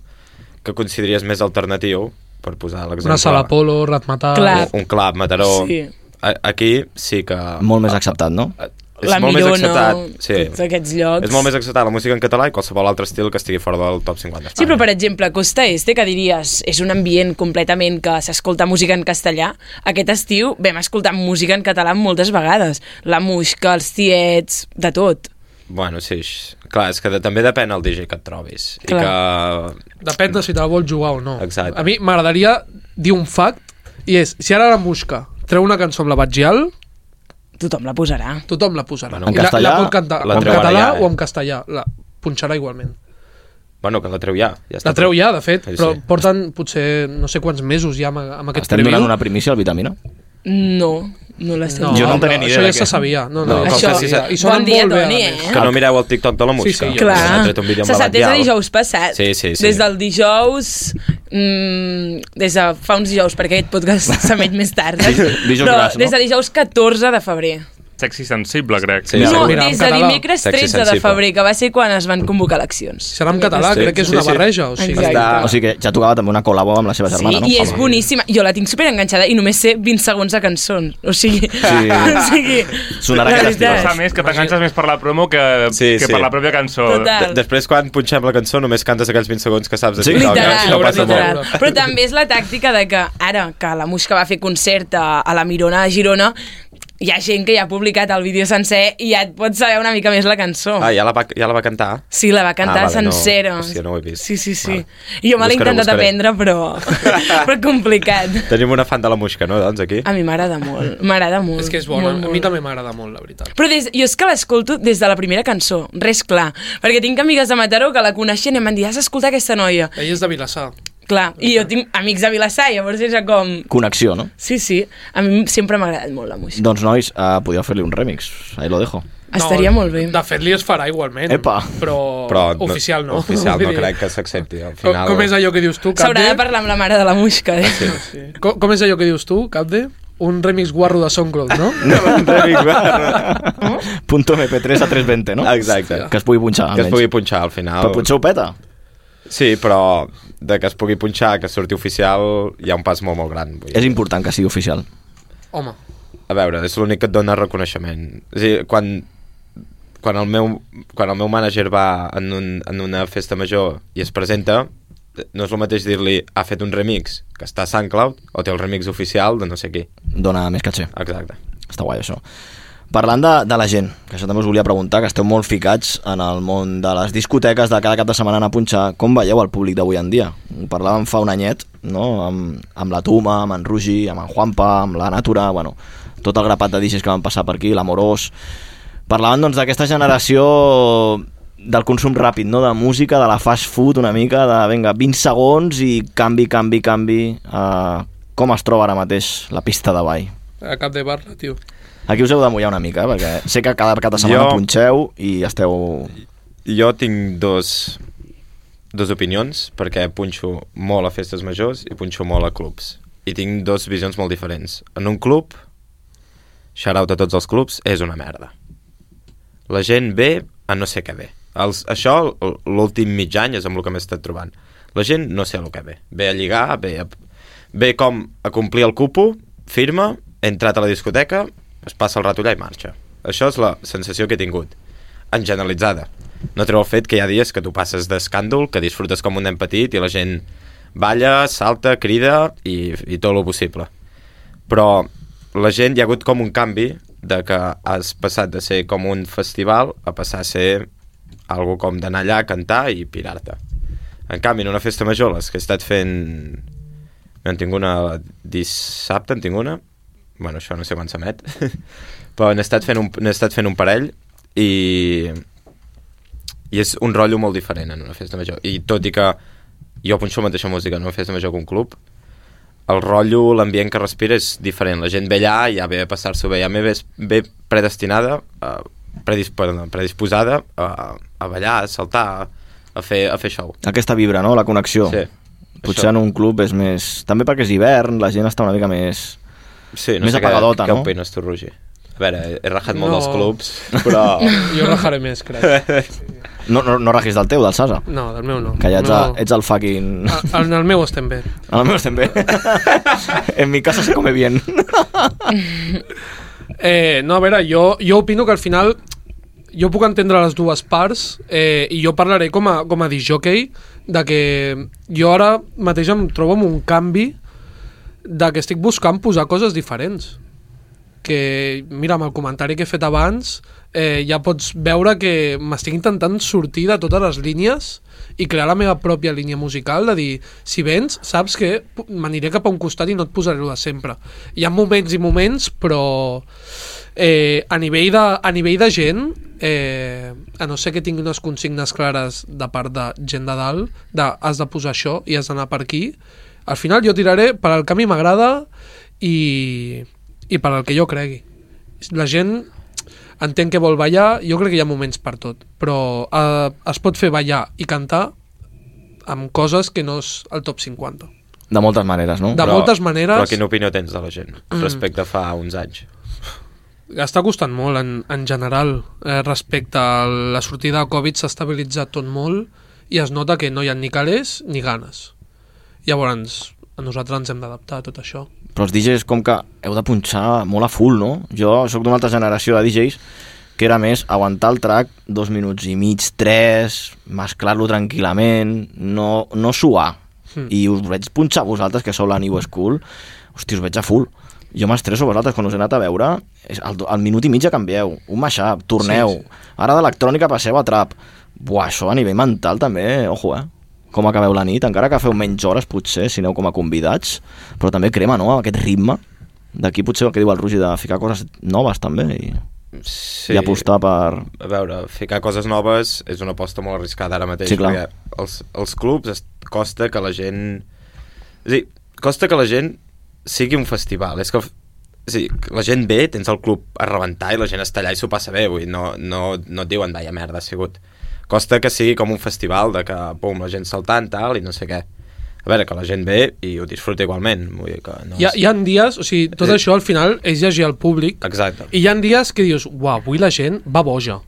que consideraries més alternatiu, per posar l'exemple... Una sala polo, Ratmatar... Un club, Mataró... Sí. Aquí sí que... Molt més acceptat, no? La Mirona, tots aquests llocs... És molt més acceptat la música en català i qualsevol altre estil que estigui fora del top 50 d'Espanya. Sí, però per exemple, Costa Este, que diries és un ambient completament que s'escolta música en castellà, aquest estiu vam escoltar música en català moltes vegades. La Muixca, els Tiets, de tot. Bueno, sí, clar, és que també depèn el DJ que et trobis. Clar. I que... Depèn de si te la vols jugar o no. Exacte. A mi m'agradaria dir un fact, i és, si ara la Muixca treu una cançó amb la Batgial, tothom la posarà. Tothom la posarà. En castellà, la pot cantar en català o en castellà. La punxarà igualment. Bueno, que la treu ja. La treu ja, de fet, sí, però porten potser no sé quants mesos ja amb aquest preview. Estem donant una primícia al Vitamina? No l'estem. Jo no en tenia ni idea. Això ja se sabia. Això, i sonen bon dia, molt bé, Toni, Que no mireu el TikTok de la Muixca. Sí, clar. Se sap des de dijous passat. Sí. Des del dijous... des de fa uns dijous, perquè aquest podcast s'emet més tard. Però des de dijous 14 de febrer. Sexy sensible, crec. Sí, no, mira, des de dimecres Sexy 13 de sensible. febrer, que va ser quan es van convocar eleccions. Serà en català, crec que és una barreja. O sigui, O sigui que ja tocava també una col·labo amb la seva germana, no? Sí, i és boníssima. Jo la tinc superenganxada i només sé 20 segons de cançons. O sigui... Sonarà que t'estimes. Passa més que t'enganxes més per la promo que per la pròpia cançó. Total. Després, quan punxem la cançó, només cantes aquells 20 segons que saps de TikTok. Literal. Però també és la tàctica de que ara que la Muixca va fer concert a la Mirona de Girona, hi ha gent que ja ha publicat el vídeo sencer i ja et pots saber una mica més la cançó. Ah, ja la va cantar? Sí, la va cantar sencera. Hòstia, no ho he vist. Sí. Vale. I jo me l'he intentat aprendre, però complicat. Tenim una fan de la Muixca, no, doncs, aquí? A mi m'agrada molt, m'agrada molt. És que és bona, molt. a mi també m'agrada molt, la veritat. Però jo és que l'escolto des de la primera cançó, res clar, perquè tinc amigues de Mataró que la coneixen i em van dir, has d'escoltar aquesta noia. Ella és de Vilassar. Clar, i jo tinc amics de Vilassar, llavors és com... Connexió, no? Sí, a mi sempre m'ha agradat molt la música. Doncs, nois, podíeu fer-li un remix. Ahí lo dejo. Estaria molt bé. De fet, li es farà igualment. Epa. Però oficial no. Oficial no crec que s'accepti. Com és allò que dius tu, Capde? S'haurà de parlar amb la mare de la Muixca, eh? Sí. Com és allò que dius tu, Capde? un remix guarro de SoundCloud, no? Punto MP3 a 320, no? Exacte. Que es pugui punxar, Que es almenys. pugui punxar al final. Però potser ho peta. Sí, però de que es pugui punxar, que surti oficial, hi ha un pas molt, molt gran. Vull dir. És important que sigui oficial. Home, A veure, és l'únic que et dona reconeixement. És a dir, quan el meu mànager va en una festa major i es presenta, no és el mateix dir-li ha fet un remix que està a SoundCloud o té el remix oficial de no sé qui. Dona més caché. Exacte. Està guai, això. Parlant de la gent, que això també us volia preguntar, que esteu molt ficats en el món de les discoteques, de cada cap de setmana anar a punxar, com veieu el públic d'avui en dia? Ho parlàvem fa un anyet, no? Amb la Tuma, amb en Rugi, amb en Juanpa, amb la Natura, bueno, tot el grapat de DJs que van passar per aquí, l'Amorós. Parlaven, doncs, d'aquesta generació del consum ràpid, no? De música, de la fast food, una mica, de, vinga, 20 segons i canvi. Com es troba ara mateix la pista de ball? a cap de barra, tio. Aquí us heu de mullar una mica, perquè sé que cada cap de setmana punxeu i esteu... Jo tinc dos opinions, perquè punxo molt a festes majors i punxo molt a clubs. I tinc dos visions molt diferents. En un club, shout-out a tots els clubs, és una merda. La gent ve a no sé què ve. Això, l'últim mig any, és amb el que m'he estat trobant. La gent no sé el que ve. Ve a lligar, ve com a complir el cupo, firma, he entrat a la discoteca, es passa el rato allà i marxa. Això és la sensació que he tingut. En generalitzada. No treu el fet que hi ha dies que tu passes d'escàndol, que disfrutes com un nen petit i la gent balla, salta, crida i tot el possible. Però la gent, hi ha hagut com un canvi de que has passat de ser com un festival a passar a ser algo com d'anar allà a cantar i pirar-te. En canvi, en una festa major, les que he estat fent... En tinc una dissabte, en tinc una. Bueno, això no sé quan s'emet. Però n'he estat fent un parell i és un rotllo molt diferent en una festa major. I tot i que jo punxo la mateixa música en una festa major que un club, el rotllo, l'ambient que respira és diferent. La gent ve allà, ja ve a passar-s'ho bé, ja ve predestinada, predisposada a ballar, a saltar, a fer show. Aquesta vibra, no? La connexió. Sí. Potser en un club és més... També perquè és hivern, la gent està una mica més... Sí, no més sé apagadota, què no? opines tu, Roger? A veure, he rajat molt dels clubs, però... Jo rajaré més, crec. No rajis del teu, del Sasa? No, del meu no. Que ja ets el fucking... En el meu estem bé. En el meu estem bé. En mi casa se come bien. No, a veure, jo opino que al final jo puc entendre les dues parts i jo parlaré com a disjockey de que jo ara mateix em trobo amb un canvi de que estic buscant posar coses diferents. Que, mira, amb el comentari que he fet abans ja pots veure que m'estic intentant sortir de totes les línies i crear la meva pròpia línia musical, de dir, si vens, saps que m'aniré cap a un costat i no et posaré de sempre. Hi ha moments i moments, però a nivell de gent, a no ser que tingui unes consignes clares de part de gent de dalt, de has de posar això i has d'anar per aquí, al final jo tiraré per al que a mi m'agrada i per al que jo cregui. La gent entén que vol ballar, jo crec que hi ha moments per tot, però es pot fer ballar i cantar amb coses que no és el top 50. De moltes maneres, no? Moltes maneres. Però quina opinió tens de la gent respecte a fa uns anys? Està costant molt en general. Respecte a la sortida de Covid s'ha estabilitzat tot molt i es nota que no hi ha ni calés ni ganes. Llavors, a nosaltres ens hem d'adaptar a tot això. Però els DJs com que heu de punxar molt a full, no? Jo sóc d'una altra generació de DJs que era més aguantar el track 2 minuts i mig, 3, mesclar-lo tranquil·lament, no suar. I us veig punxar vosaltres, que sou la New School, hosti, us veig a full. Jo m'estresso vosaltres, quan us he anat a veure, al minut i mig ja canvieu, un mashup, torneu, ara d'electrònica passeu a trap. Buah, això a nivell mental també, ojo, com acabeu la nit, encara que feu menys hores potser, si aneu com a convidats, però també crema, no?, aquest ritme. D'aquí potser el que diu el Roger de ficar coses noves també i apostar per... A veure, ficar coses noves és una aposta molt arriscada ara mateix, perquè els clubs costa que la gent... És a dir, costa que la gent sigui un festival. És que la gent ve, tens el club a rebentar i la gent està allà i s'ho passa bé, vull dir, no et diuen vaya merda ha sigut. Costa que sigui com un festival de que, pum, la gent saltant, tal, i no sé què. a veure, que la gent ve i ho disfruta igualment. Vull dir que no Hi ha dies, o sigui, tot això al final és llegir al públic. Exacte. I hi ha dies que dius, uau, avui la gent va boja.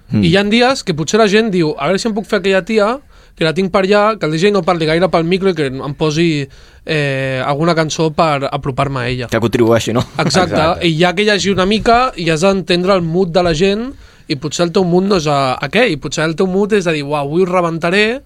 I hi ha dies que potser la gent diu, a veure si em puc fer aquella tia, que la tinc per allà, que el DJ no parli gaire pel micro i que em posi alguna cançó per apropar-me a ella. Que contribueixi, no? Exacte. I hi ha que llegir una mica i has d'entendre el mood de la gent i potser el teu mood no és aquell, i potser el teu mood és de dir, uau, avui ho rebentaré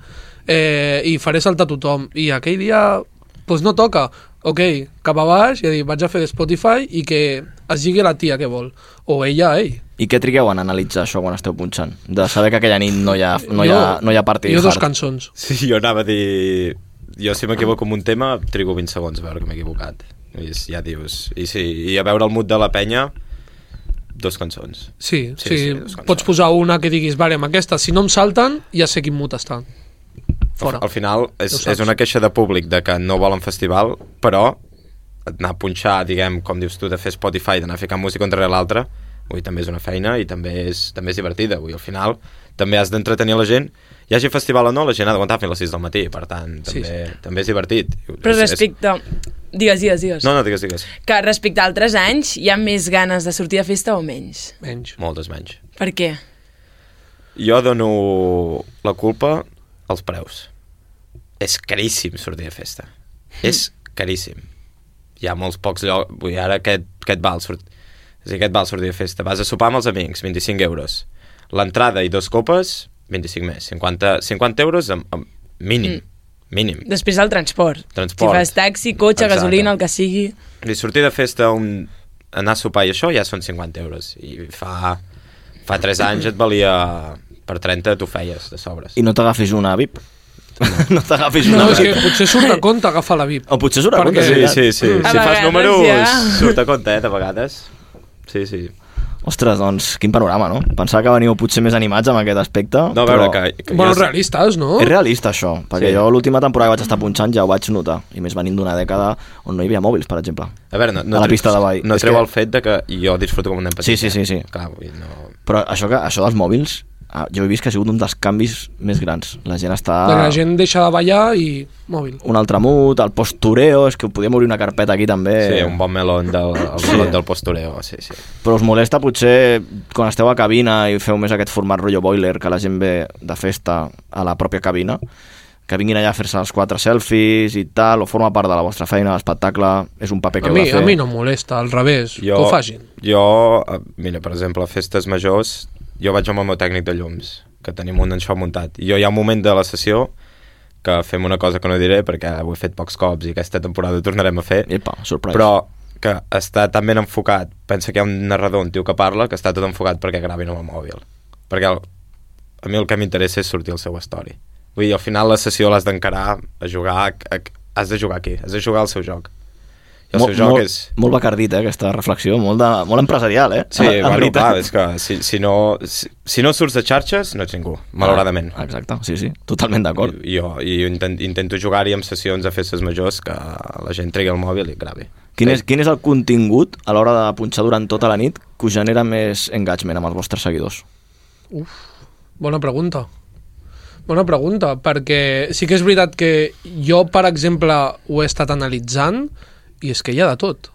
i faré saltar tothom. I aquell dia doncs no toca. Ok, cap a baix, i dir, vaig a fer Spotify i que es lligui la tia que vol. O ella, ell. I què trigueu en analitzar això quan esteu punxant? De saber que aquella nit no hi ha partit hard. Jo 2 cançons. Sí, jo anava a dir... Jo si m'equivoco en un tema, trigo 20 segons a veure que m'he equivocat. I ja dius... I a veure el mood de la penya, 2 cançons. Sí, 2 cançons. pots posar una que diguis, vale, amb aquesta, si no em salten, ja sé quin mood està. Fora. Al final és una queixa de públic de que no volen festival, però anar a punxar, diguem, com dius tu, de fer Spotify, d'anar a ficar música entre l'altra, també és una feina i també és divertida. Al final també has d'entretenir la gent. Hi hagi festival o no, la gent ha d'aguantar fins a les 6 del matí, per tant, també és divertit. Però respecte... Digues. No, digues. Que respecte a altres anys, hi ha més ganes de sortir de festa o menys? Menys. Moltes menys. Per què? Jo dono la culpa als preus. És caríssim sortir de festa. És caríssim. Hi ha molts pocs llocs... Vull dir, ara aquest val sortir de festa. Vas a sopar amb els amics, 25 euros. L'entrada i 2 copes, 25 més. 50 euros mínim. Mínim. Després el transport. Si fas taxi, cotxe, Exacte. gasolina, el que sigui... I sortir de festa, anar a sopar i això ja són 50 euros. I fa 3 anys et valia... Per 30 t'ho feies, de sobres. I no t'agafis una VIP? No t'agafis una No, és VIP? que potser surt a compte agafar la VIP. O potser surt a compte, Sí. Si fas vegades, números, ja. surt a compte, de vegades. Sí. Ostres, doncs, quin panorama, no? Pensava que veniu potser més animats amb aquest aspecte, No, a però... veure, que Bueno, realistes, no? És realista, això, perquè Sí. jo l'última temporada que vaig estar punxant ja ho vaig notar, i més venint d'una dècada on no hi havia mòbils, per exemple. A veure, a la pista de ball. No És treu que- el fet de que jo disfruto com un nen petit. Sí. Clar, vull dir, no... Però això dels mòbils, jo he vist que ha sigut un dels canvis més grans. La gent està... La gent deixa de ballar i mòbil. Un altre mood, el postureo, és que podíem obrir una carpeta aquí també. Sí, un bon melón melón del postureo, sí. Però us molesta potser quan esteu a cabina i feu més aquest format rotllo boiler, que la gent ve de festa a la pròpia cabina, que vinguin allà a fer-se els 4 selfies i tal, o forma part de la vostra feina, l'espectacle, és un paper que heu de fer. A mi no em molesta, al revés, que ho facin. Mira, per exemple, a festes majors, jo vaig amb el meu tècnic de llums, que tenim un això muntat. I hi ha un moment de la sessió que fem una cosa que no diré perquè ho he fet pocs cops i aquesta temporada ho tornarem a fer. Epa, surprise. Però que està tan ben enfocat, pensa que hi ha un narrador, un tio que parla, que està tot enfocat perquè gravin amb el mòbil. Perquè a mi el que m'interessa és sortir el seu story. Vull dir, al final la sessió l'has d'encarar a jugar, has de jugar aquí, has de jugar al seu joc. I el seu joc és... Molt bacardit, aquesta reflexió, molt empresarial, Sí, bueno, clar, és que si no surts de xarxes no ets ningú, malauradament. Exacte, sí, totalment d'acord. Jo intento jugar-hi en sessions a festes majors que la gent tregui el mòbil i gravi. Quin és el contingut a l'hora de punxar durant tota la nit que us genera més engagement amb els vostres seguidors? Bona pregunta, perquè sí que és veritat que jo, per exemple, ho he estat analitzant i és que hi ha de tot.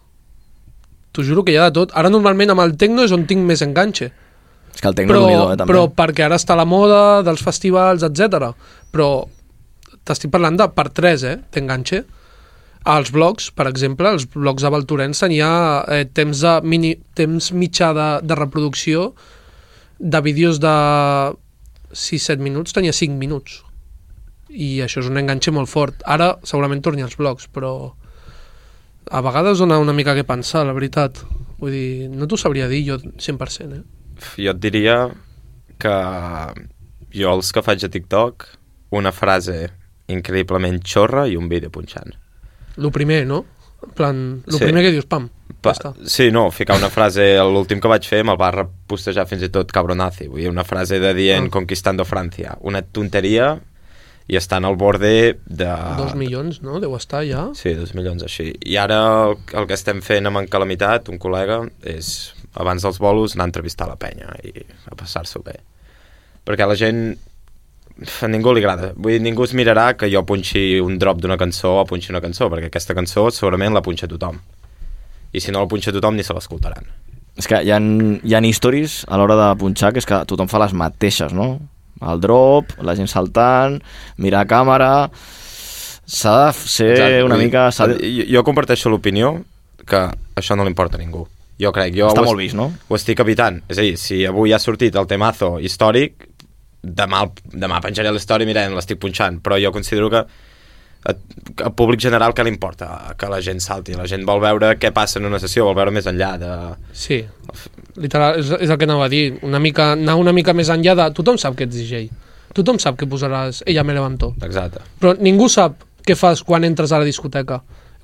T'ho juro que hi ha de tot. Ara normalment amb el tecno és on tinc més enganxe. És que el tecno és unidor, també. Però perquè ara està la moda dels festivals, etc. Però t'estic parlant de per 3, t'enganxe. Als blogs, per exemple, els blogs de Valtorens tenia temps mitjà de reproducció de vídeos de 6-7 minuts, tenia 5 minuts. I això és un enganxe molt fort. Ara segurament torni als blogs, però a vegades dona una mica que pensar, la veritat. Vull dir, no t'ho sabria dir jo 100%, Jo et diria que jo els que faig a TikTok, una frase increïblement xorra i un vídeo punxant. Lo primer, no? En plan, primer que dius, pam, ja està. Sí, no, ficar una frase, l'últim que vaig fer me'l va repostejar fins i tot cabronazi, vull dir, una frase de dient Conquistando Francia, una tonteria i estan al borde de... 2 milions, no? Deu estar ja. Sí, 2 milions així. I ara el que estem fent amb en Calamitat, un col·lega, és abans dels bolos anar a entrevistar la penya i a passar-s'ho bé. Perquè la gent a ningú li agrada. Vull dir, ningú es mirarà que jo punxi un drop d'una cançó o punxi una cançó, perquè aquesta cançó segurament la punxa tothom. I si no la punxa tothom, ni se l'escoltaran. És que hi ha històries a l'hora de punxar que és que tothom fa les mateixes, no? El drop, la gent saltant, mirar a càmera... S'ha de ser una mica... Jo comparteixo l'opinió que això no li importa a ningú. Jo crec... Està molt vist, no? Ho estic evitant. És a dir, si avui ha sortit el temazo històric, demà penjaré l'història i mirem, l'estic punxant. Però jo considero que al públic general què li importa? Que la gent salti. La gent vol veure què passa en una sessió, vol veure més enllà de... Sí, literal, és el que anava a dir. Anar una mica més enllà de... Tothom sap que ets DJ. Tothom sap que posaràs Ella me levantó. Exacte. Però ningú sap què fas quan entres a la discoteca,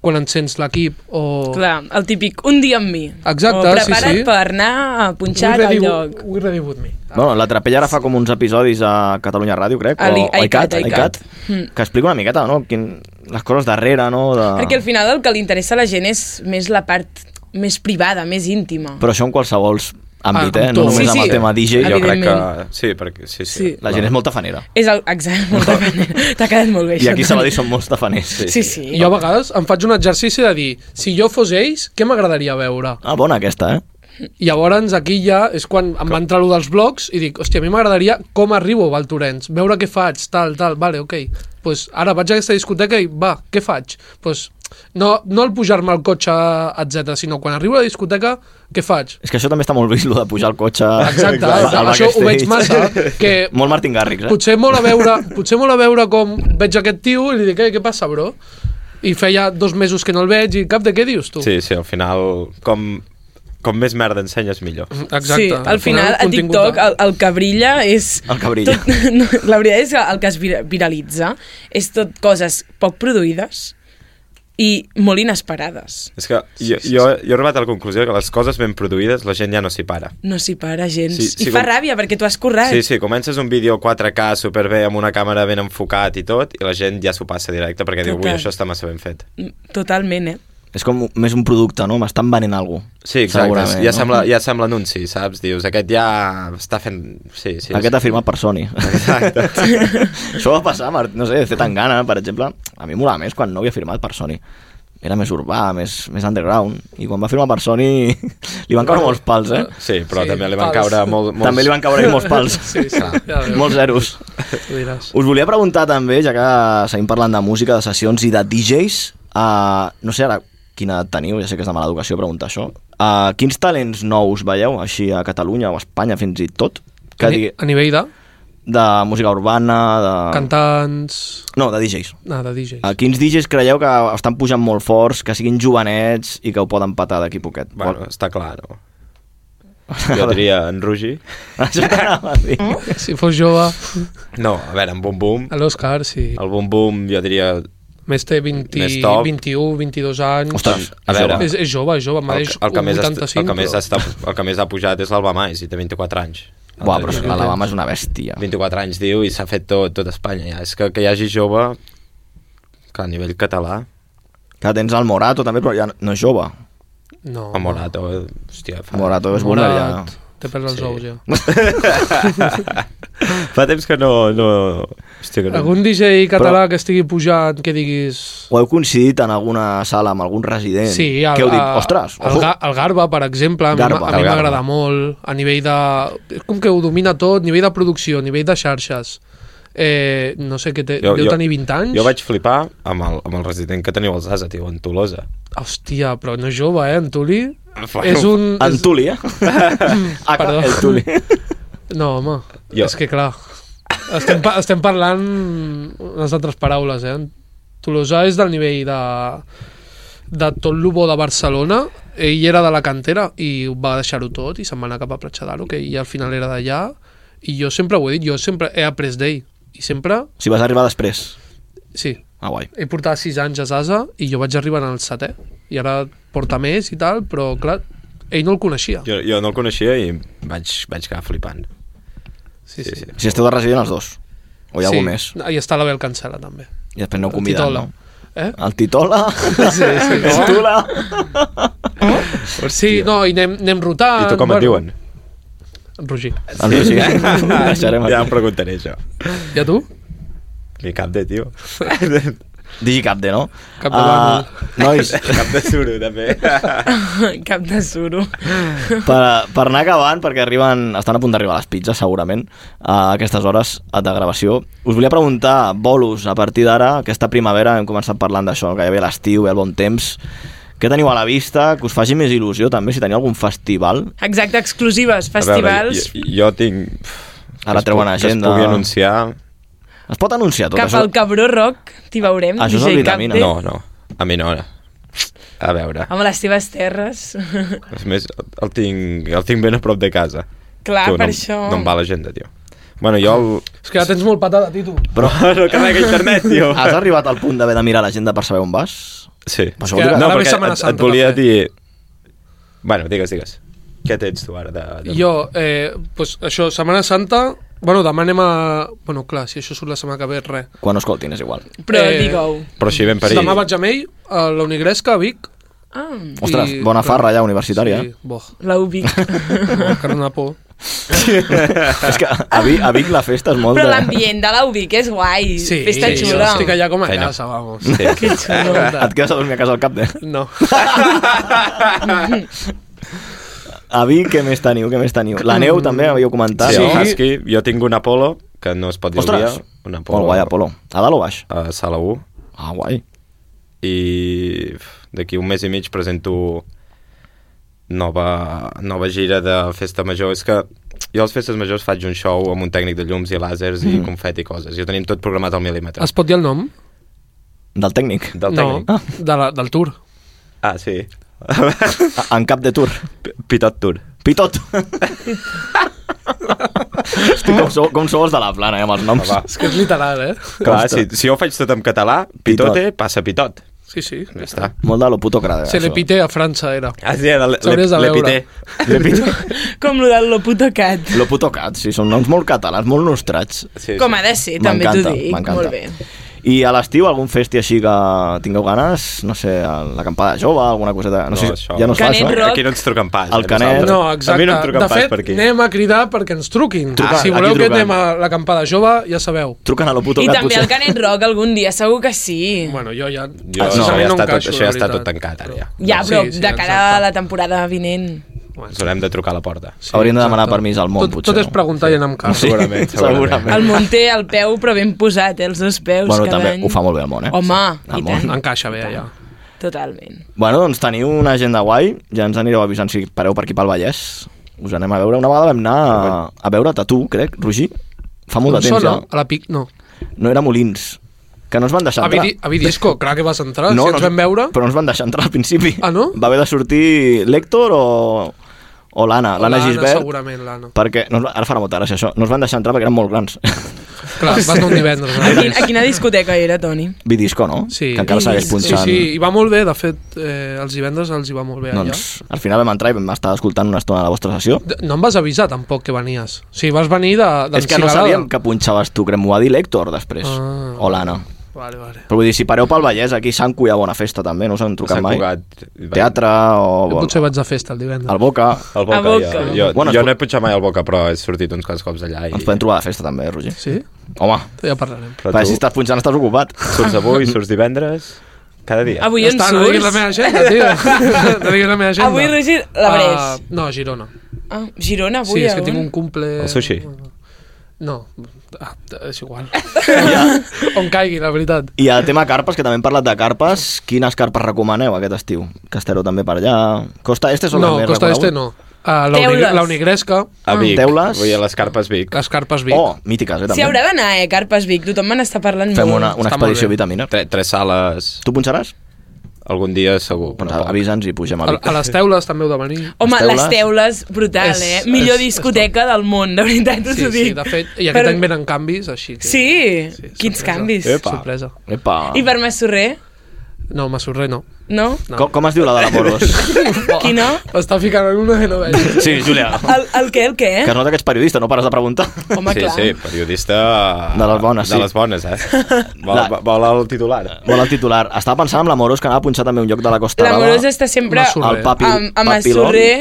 quan encens l'equip o... Clar, el típic un dia amb mi. Exacte, o prepara't sí. per anar a punxar al lloc. We ready with me. Bueno, la Trapella ara fa com uns episodis a Catalunya Ràdio, crec, o iCat, que explica una miqueta, no? Les coses darrere, no? Perquè al final el que li interessa a la gent és més la part més privada, més íntima. Però això en qualsevol àmbit, no només amb el tema DJ. Jo crec que... Sí, perquè... Sí. La gent és molt tafanera. Exacte, molt tafanera. T'ha quedat molt bé. I aquí a Sabadell són molts tafaners. Sí. Jo a vegades em faig un exercici de dir, si jo fos ells, què m'agradaria veure? Ah, bona aquesta, I llavors aquí ja és quan em va entrar allò dels blogs i dic, hòstia, a mi m'agradaria com arribo a Valtorens, veure què faig, tal, vale, ok. Pues ara vaig a aquesta discoteca i va, què faig? Pues no el pujar-me al cotxe, etc, sinó quan arribo a la discoteca, què faig? És que això també està molt vist, de pujar al cotxe... Exacte, això ho veig massa. Que molt Martin Garrix, Potser molt a veure com veig aquest tio i li dic, què passa, bro? I feia 2 mesos que no el veig i cap de què dius, tu? Sí, al final, com més merda ensenyes, millor. Exacte. Sí, al final a TikTok el que brilla és... El que brilla. La veritat és que el que es viralitza és tot coses poc produïdes i molt inesperades. És que jo he arribat a la conclusió que les coses ben produïdes la gent ja no s'hi para. No s'hi para gens. I fa ràbia perquè tu has currat. Sí, comences un vídeo 4K superbé amb una càmera ben enfocat i tot, i la gent ja s'ho passa directe perquè diu, ui, això està massa ben fet. Totalment, És com més un producte, no? M'estan venent alguna cosa. Sí, exacte. Ja sembla anunci, saps? Dius, aquest ja està fent... Sí. Aquest ha firmat per Sony. Exacte. Això va passar, no sé, Zetangana, per exemple. A mi m'olava més quan no havia firmat per Sony. Era més urbà, més underground. I quan va firmar per Sony li van caure molts pals, Sí, però també li van caure molts... També li van caure molts pals. Sí, molts zeros. Us volia preguntar també, ja que seguim parlant de música, de sessions i de DJs, no sé ara quina edat teniu, ja sé que és de mala educació preguntar això. Quins talents nous veieu, així a Catalunya o a Espanya fins i tot? A nivell de? De música urbana, de... Cantants... No, de DJs. De DJs. Quins DJs creieu que estan pujant molt forts, que siguin jovenets i que ho poden patar d'aquí poquet? Bueno, està clar, no? Jo diria en Rugi. Això t'anava a dir. Si fos jove... No, a veure, en Bum Bum. A l'Òscar, sí. El Bum Bum, jo diria... Més té 21, 22 anys. Ostres, a veure, és jove, mereix un 85. El que més ha pujat és l'Albamais, i té 24 anys. Buah, però l'Alabama és una bèstia. 24 anys, diu, i s'ha fet tot Espanya. Ja. És que hi hagi jove, que a nivell català... Que tens el Morato també, però ja no és jove. No. El Morato, hòstia... Morato és boomer, ja. Té pels als ous, ja. Fa temps que no... Hòstia, que no. Algun DJ català que estigui pujant, que diguis... O heu coincidit en alguna sala amb algun resident? Sí, que heu dit, ostres... El Garba, per exemple, a mi m'agrada molt, a nivell de... És com que ho domina tot, nivell de producció, nivell de xarxes. No sé, que deu tenir 20 anys. Jo vaig flipar amb el resident que teniu als Asa, tio, en Tolosa. Hòstia, però no és jove, en Tuli? És un... En Tuli, Perdó. El Tuli. No, home, és que clar... Estem parlant unes altres paraules, Tolosa és del nivell de tot el bo de Barcelona. Ell era de la cantera i va deixar-ho tot i se'n va anar cap a Platja d'Aro, que ell al final era d'allà, i jo sempre ho he dit, jo sempre he après d'ell i sempre... Si vas arribar després? Sí. Ah, guai. Ell portava 6 anys a Sasa i jo vaig arribar en el 7è i ara porta més i tal, però clar, ell no el coneixia. Jo no el coneixia i vaig quedar flipant. Sí. Si esteu de resident els dos? O hi ha algú més? I està la Bel Cancela també. I després no convidat, no? El Titola? Sí. El Tula? Sí, no, i anem rotant. I tu com et diuen? Roger. El Roger. Deixarem Ja aquí. em preguntaré, això. I a tu? Mi cap de, tio. Digicapde, no? Cap de bàndol. Nois, Cap de suro, també. Cap de suro. per anar acabant, perquè estan a punt d'arribar les pizzas, segurament, a aquestes hores de gravació. Us volia preguntar, bolos, a partir d'ara, aquesta primavera, hem començat parlant d'això, que ja ve l'estiu, ve el bon temps. Què teniu a la vista? Que us faci més il·lusió, també, si teniu algun festival? Exacte, exclusives, A veure, festivals. jo tinc... Ara treuen agenda. Que es pugui anunciar... Es pot anunciar tot Cap això? al Cabró Rock t'hi veurem. Això és DJ el Vitamina. Capde. No, a mi no. A veure, Amb les teves terres. és més, el tinc ben a prop de casa. Clar, Tu, per no, això. No em va l'agenda, tio. Bueno, jo... És que ja tens molt patada, Tito. Però no carrega internet, tio. Has arribat al punt d'haver de mirar l'agenda per saber on vas? Sí. Però això vol dir que- No, ara ve perquè Setmana Santa, et volia també. dir... Bueno, digues. Què tens tu ara? Jo, pues això, Setmana Santa... Bueno, demà anem a... Bueno, clar, si això surt la setmana que ve, res. Quan ho escoltin, és igual. Però Eh, digue-ho. Però així ben per Demà vaig amb ell a la Unigresca, a Vic. Ah, Ostres, bona farra ja, universitària. Sí, boh, la Ubic. que no por. És que a Vic la festa és molt Però de... l'ambient de la Ubic és guai. Sí, Festa jo xula. estic allà com a Feina. casa, vamos. Sí. Que xulo. Et quedes a dormir a casa al cap de... No. A Vic, què més teniu? La neu també, havíeu comentat. Sí, no? el Husky. Jo tinc un Apollo, que no es pot dir el Ostres, dia. Un Apollo. molt guai, Apolo. A dalt o baix? A Sala 1. Ah, guai. I d'aquí un mes i mig presento nova gira de festa major. És que jo a les festes majors faig un show amb un tècnic de llums i làsers i confeti i coses. Jo tenim tot programat al mil·límetre. Es pot dir el nom? Del tècnic? Del No, tècnic. del tour. Ah, sí. En cap de tour. Pitot Tour. Pitot. Hosti, com sou els de la plana, amb els noms. Va. És que és literal, eh? Clar, si jo ho faig tot en català, Pitote passa Pitot. Sí, sí. Ja està. Molt de lo puto crade. Se le pité a França, era. Ah, sí, era S'hauries de veure. Com lo del Loputo Cat. Lo puto cat, sí, són noms molt catalans, molt nostrats. Sí, Com ha de ser, també t'ho dic. m'encanta. Molt bé. I a l'estiu, algun festi així que tingueu ganes? No sé, l'acampada jove, alguna coseta... No sé, això. ja no es fa Canet això? Rock. Aquí no ens truquen pas. El a Canet. nosaltres. No, A exacte. mi no em truquen De pas fet, per aquí. anem a cridar perquè ens truquin. Truca, Si aquí voleu que truquen. anem a l'acampada jove, ja sabeu. Truquen a lo puto I cat, també potser. el Canet Rock algun dia, segur que sí. Bueno, jo ja... Jo, precisament no, ja està encaixo, això ja la està tot veritat. tancat, ara, ja. Ja, però Sí, sí, de cara exacte. a la temporada vinent. Ens haurem de trucar a la porta. Sí, Hauríem de demanar exacte. permís al món, potser. Tot és preguntar i anar amb carro. Segurament, segurament. El món té el peu, però ben posat, els dos peus Bueno, cada també any. ho fa molt bé el món, eh? Home, El i món. tant. Encaixa bé, allà. Totalment. Bueno, doncs teniu una agenda guai, ja ens anireu avisant si pareu per aquí pel Vallès. Us anem a veure. Una vegada vam anar a veure't a tu, crec, Roger. Fa molt de temps, ja. A la PIC, no. No era Molins, que no ens van deixar entrar. A Vidisco, clar que vas entrar, si ens vam veure. Però no ens van deixar entrar al principi. Ah, no? Va haver de sortir l'Héctor o l'Anna, l'Anna Gisbert. Segurament, l'Anna. Perquè, ara farà molta gràcia això, no ens van deixar entrar perquè eren molt grans. Clar, vas anar un divendres. A quina discoteca era, Toni? Vidisco, no? Sí. Que encara segueix Sí, punxant. sí, i va molt bé, de fet, els divendres els hi va molt bé allà. Doncs al final vam entrar i vam estar escoltant una estona de la vostra sessió. No em vas avisar tampoc que venies. Sí, vas venir És que no sabíem que punxaves tu, crec, m'ho va dir l'Héctor després. Ah. O l'Anna. Vale, vale. Però vull dir, si pareu pel Vallès, aquí a Sant Cu hi ha bona festa també, no us han trucat Sant mai. Cugat. Teatre o... Potser vaig de festa el divendres. El Boca. El Boca, A Boca. Jo Bueno, no he punxat mai al Boca, però he sortit uns quants cops allà. Ens podem trobar de festa també, Roger. Sí? Home, Ja parlarem. Però perquè si tu estàs punxant estàs ocupat. surts avui, surts divendres, cada dia. Avui Ja on està, no diguis la surts? meva agenda, tio. No diguis la meva agenda. Avui, Roger, l'Abrés. No, Girona. Ah, Girona, avui, Sí, és que on? tinc un cumple... El sushi. No, és igual. On caigui, la veritat. I el tema carpes, que també hem parlat de carpes, quines carpes recomaneu aquest estiu? Que estareu també per allà. Costa Este són No, les més Costa Este reconegudes? no. Teules. La Unigresca, A Vic. Teules. Vull dir, a les Carpes Vic. les Carpes Vic. Oh, mítiques, S'hi també. haurà d'anar, Carpes Vic. Tothom me n'està parlant Fem molt. una Està molt expedició bé. vitamina. Tres sales, Tu punxaràs? algun dia segur. Doncs però poc. avisa'ns i pugem a Vic. A les teules també heu de venir. Home, Les les teules, brutal, És- Millor és- discoteca del món, de veritat, us Sí, ho sí, dic. de fet, i aquest any venen canvis, així que... Sí, quins sorpresa. canvis. Epa. Sorpresa. Epa. I per Massorrer? No, Massorrer no. No? Com es diu la de l'Amoros? Quina? Està ficant en una que no veig. Sí, Júlia. El què? Que es nota que ets periodista, no pares de preguntar. Home, clar. Sí, periodista... De les bones, sí. De les bones, Vol el titular. Vol el titular. Estava pensant en l'Amoros, que anava a punxar també un lloc de la Costa Brava. L'Amorós està sempre Massorrer. El papi, amb Massorrer.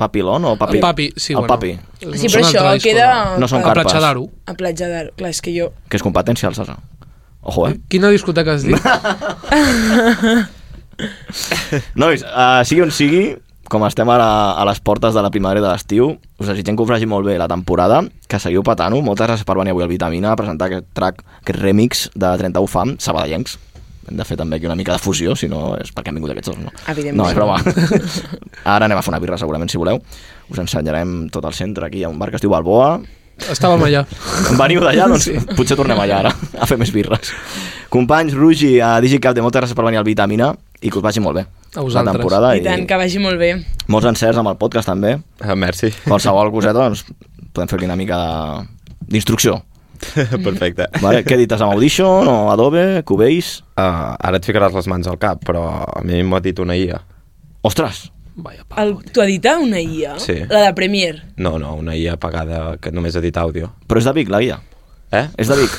Papilón o papi? El papi, sí, el papi. Sí, però això queda... No són A carpes. Platja d'Aro. A Platja d'Aro. Clar, és que jo... Que és competència, el Sasa. Ojo, Quina discoteca has dit? Nois, sigui on sigui, com estem ara a les portes de la primavera i de l'estiu, us desitgem que us vagi molt bé la temporada, que seguiu patant-ho. Moltes gràcies per venir avui al Vitamina a presentar aquest track, aquest remix de 31 Fam, sabadellencs. Hem de fer també aquí una mica de fusió, si no és perquè han vingut aquests dos, no? Evidentment. No, és broma. Ara anem a fer una birra, segurament, si voleu. Us ensenyarem tot el centre, aquí hi ha un bar que es diu Balboa. Estàvem allà. Veniu d'allà, doncs potser tornem allà ara, a fer més birres. Companys, Rugi, a DigiCap, moltes gràcies per venir al Vitamina i que us vagi molt bé. A vosaltres. La temporada I tant, que vagi molt bé. molts encerts amb el podcast també. Merci. Qualsevol coseta, doncs podem fer aquí una mica d'instrucció. Perfecte. Vale? Què edites amb Audition o Adobe, Cubase? Ara et ficaràs les mans al cap, però a mi m'ho ha dit una IA. Ostres! Vaya pavo. Tu editar una IA? Sí. La de Premiere? No, una IA pagada que només edita àudio. Però és de Vic, la guia. És de Vic.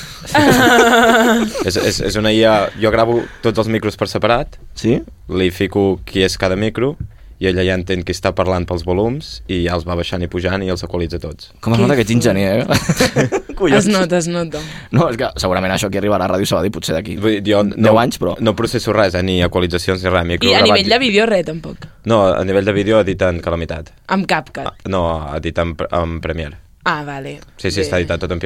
És una IA... Jo gravo tots els micros per separat, Sí? li fico qui és cada micro, i ella ja entén qui està parlant pels volums, i ja els va baixant i pujant i els equalitza tots. Com es nota que ets enginyer, Es nota, es nota. No, és que segurament això aquí arribarà a Ràdio Sabadell potser d'aquí Vull dir, jo 10 anys, però... No processo res, ni equalitzacions ni res. I a nivell de vídeo, res, tampoc. No, a nivell de vídeo editen calamitat. Amb CapCut. No, editen en Premiere. Ah, vale. Sí, Bé. està editat tot en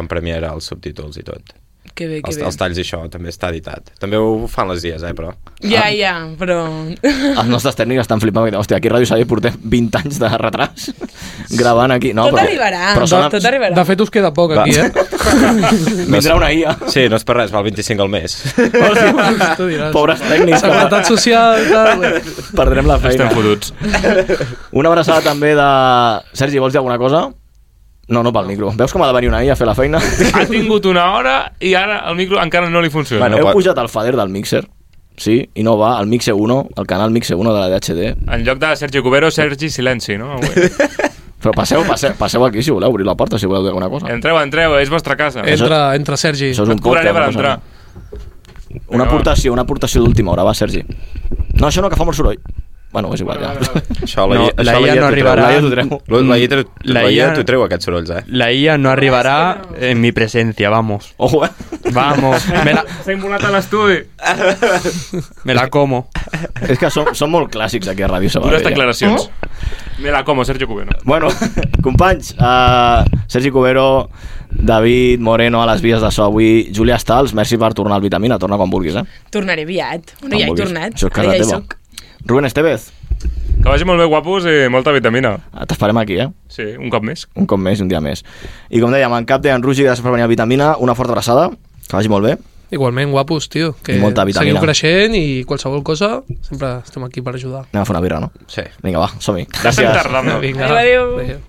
Premiere, els subtítols i tot. Que bé, que bé. Els talls i això també està editat. També ho fan les dies, però... Ja, però... Els nostres tècnics estan flipant. Hòstia, aquí a Ràdio Sabadell portem 20 anys de retras gravant aquí. No, Tot arribarà, tot arribarà. De fet, us queda poc aquí, Vindrà una IA. Sí, no és per res, val 25 al mes. Tu diràs. Pobres tècnics. Seguretat social... Perdrem la feina. Estem fotuts. Una abraçada també de... Sergi, vols dir alguna cosa? No pel micro. Veus com ha de venir una IA a fer la feina? Ha tingut una hora i ara el micro encara no li funciona. Bueno, Heu pujat el fader del mixer? Sí, i no va al Mixe 1, el canal Mixe 1 de la DHD. En lloc de Sergi Cubero, Sergi Silenci, no? Avui. Però passeu aquí si voleu obrir la porta, si voleu dir alguna cosa. Entreu, és vostra casa. Entra, Sergi. Això és un Et cobraré per podcast, entrar. Una aportació d'última hora, va, Sergi. No, això no, que fa molt soroll. Bueno, és igual, ja. Això No, la IA no arribarà. La IA t'ho treu, aquests sorolls, La IA no arribarà en mi presencia, vamos. Ojo, Vamos, S'ha involat a l'estudi. me la como. És que són molt clàssics aquí a Ràdio Sabadell. Dures declaracions. Me la como, Sergio Cubero. Bueno, companys, Sergi Cubero, David Moreno a les vies de so avui, Júlia Stals, merci per tornar al Vitamina, torna quan vulguis, Tornaré aviat. Bueno, ja he tornat. Això és casa Ara ja hi teva. soc. Rubén Estevez, Que vagi molt bé, guapos, i molta vitamina. t'esperem aquí, Sí, un cop més. Un cop més, un dia més. I com dèiem, en cap de en Rugi, gràcies per venir al Vitamina, una forta abraçada, que vagi molt bé. Igualment, guapos, tio. Que I molta vitamina. seguiu creixent i qualsevol cosa, sempre estem aquí per ajudar. Anem a fer una birra, no? Sí. Vinga, va, som-hi. Estem Gràcies. tardant. Vinga. Adéu. Adéu.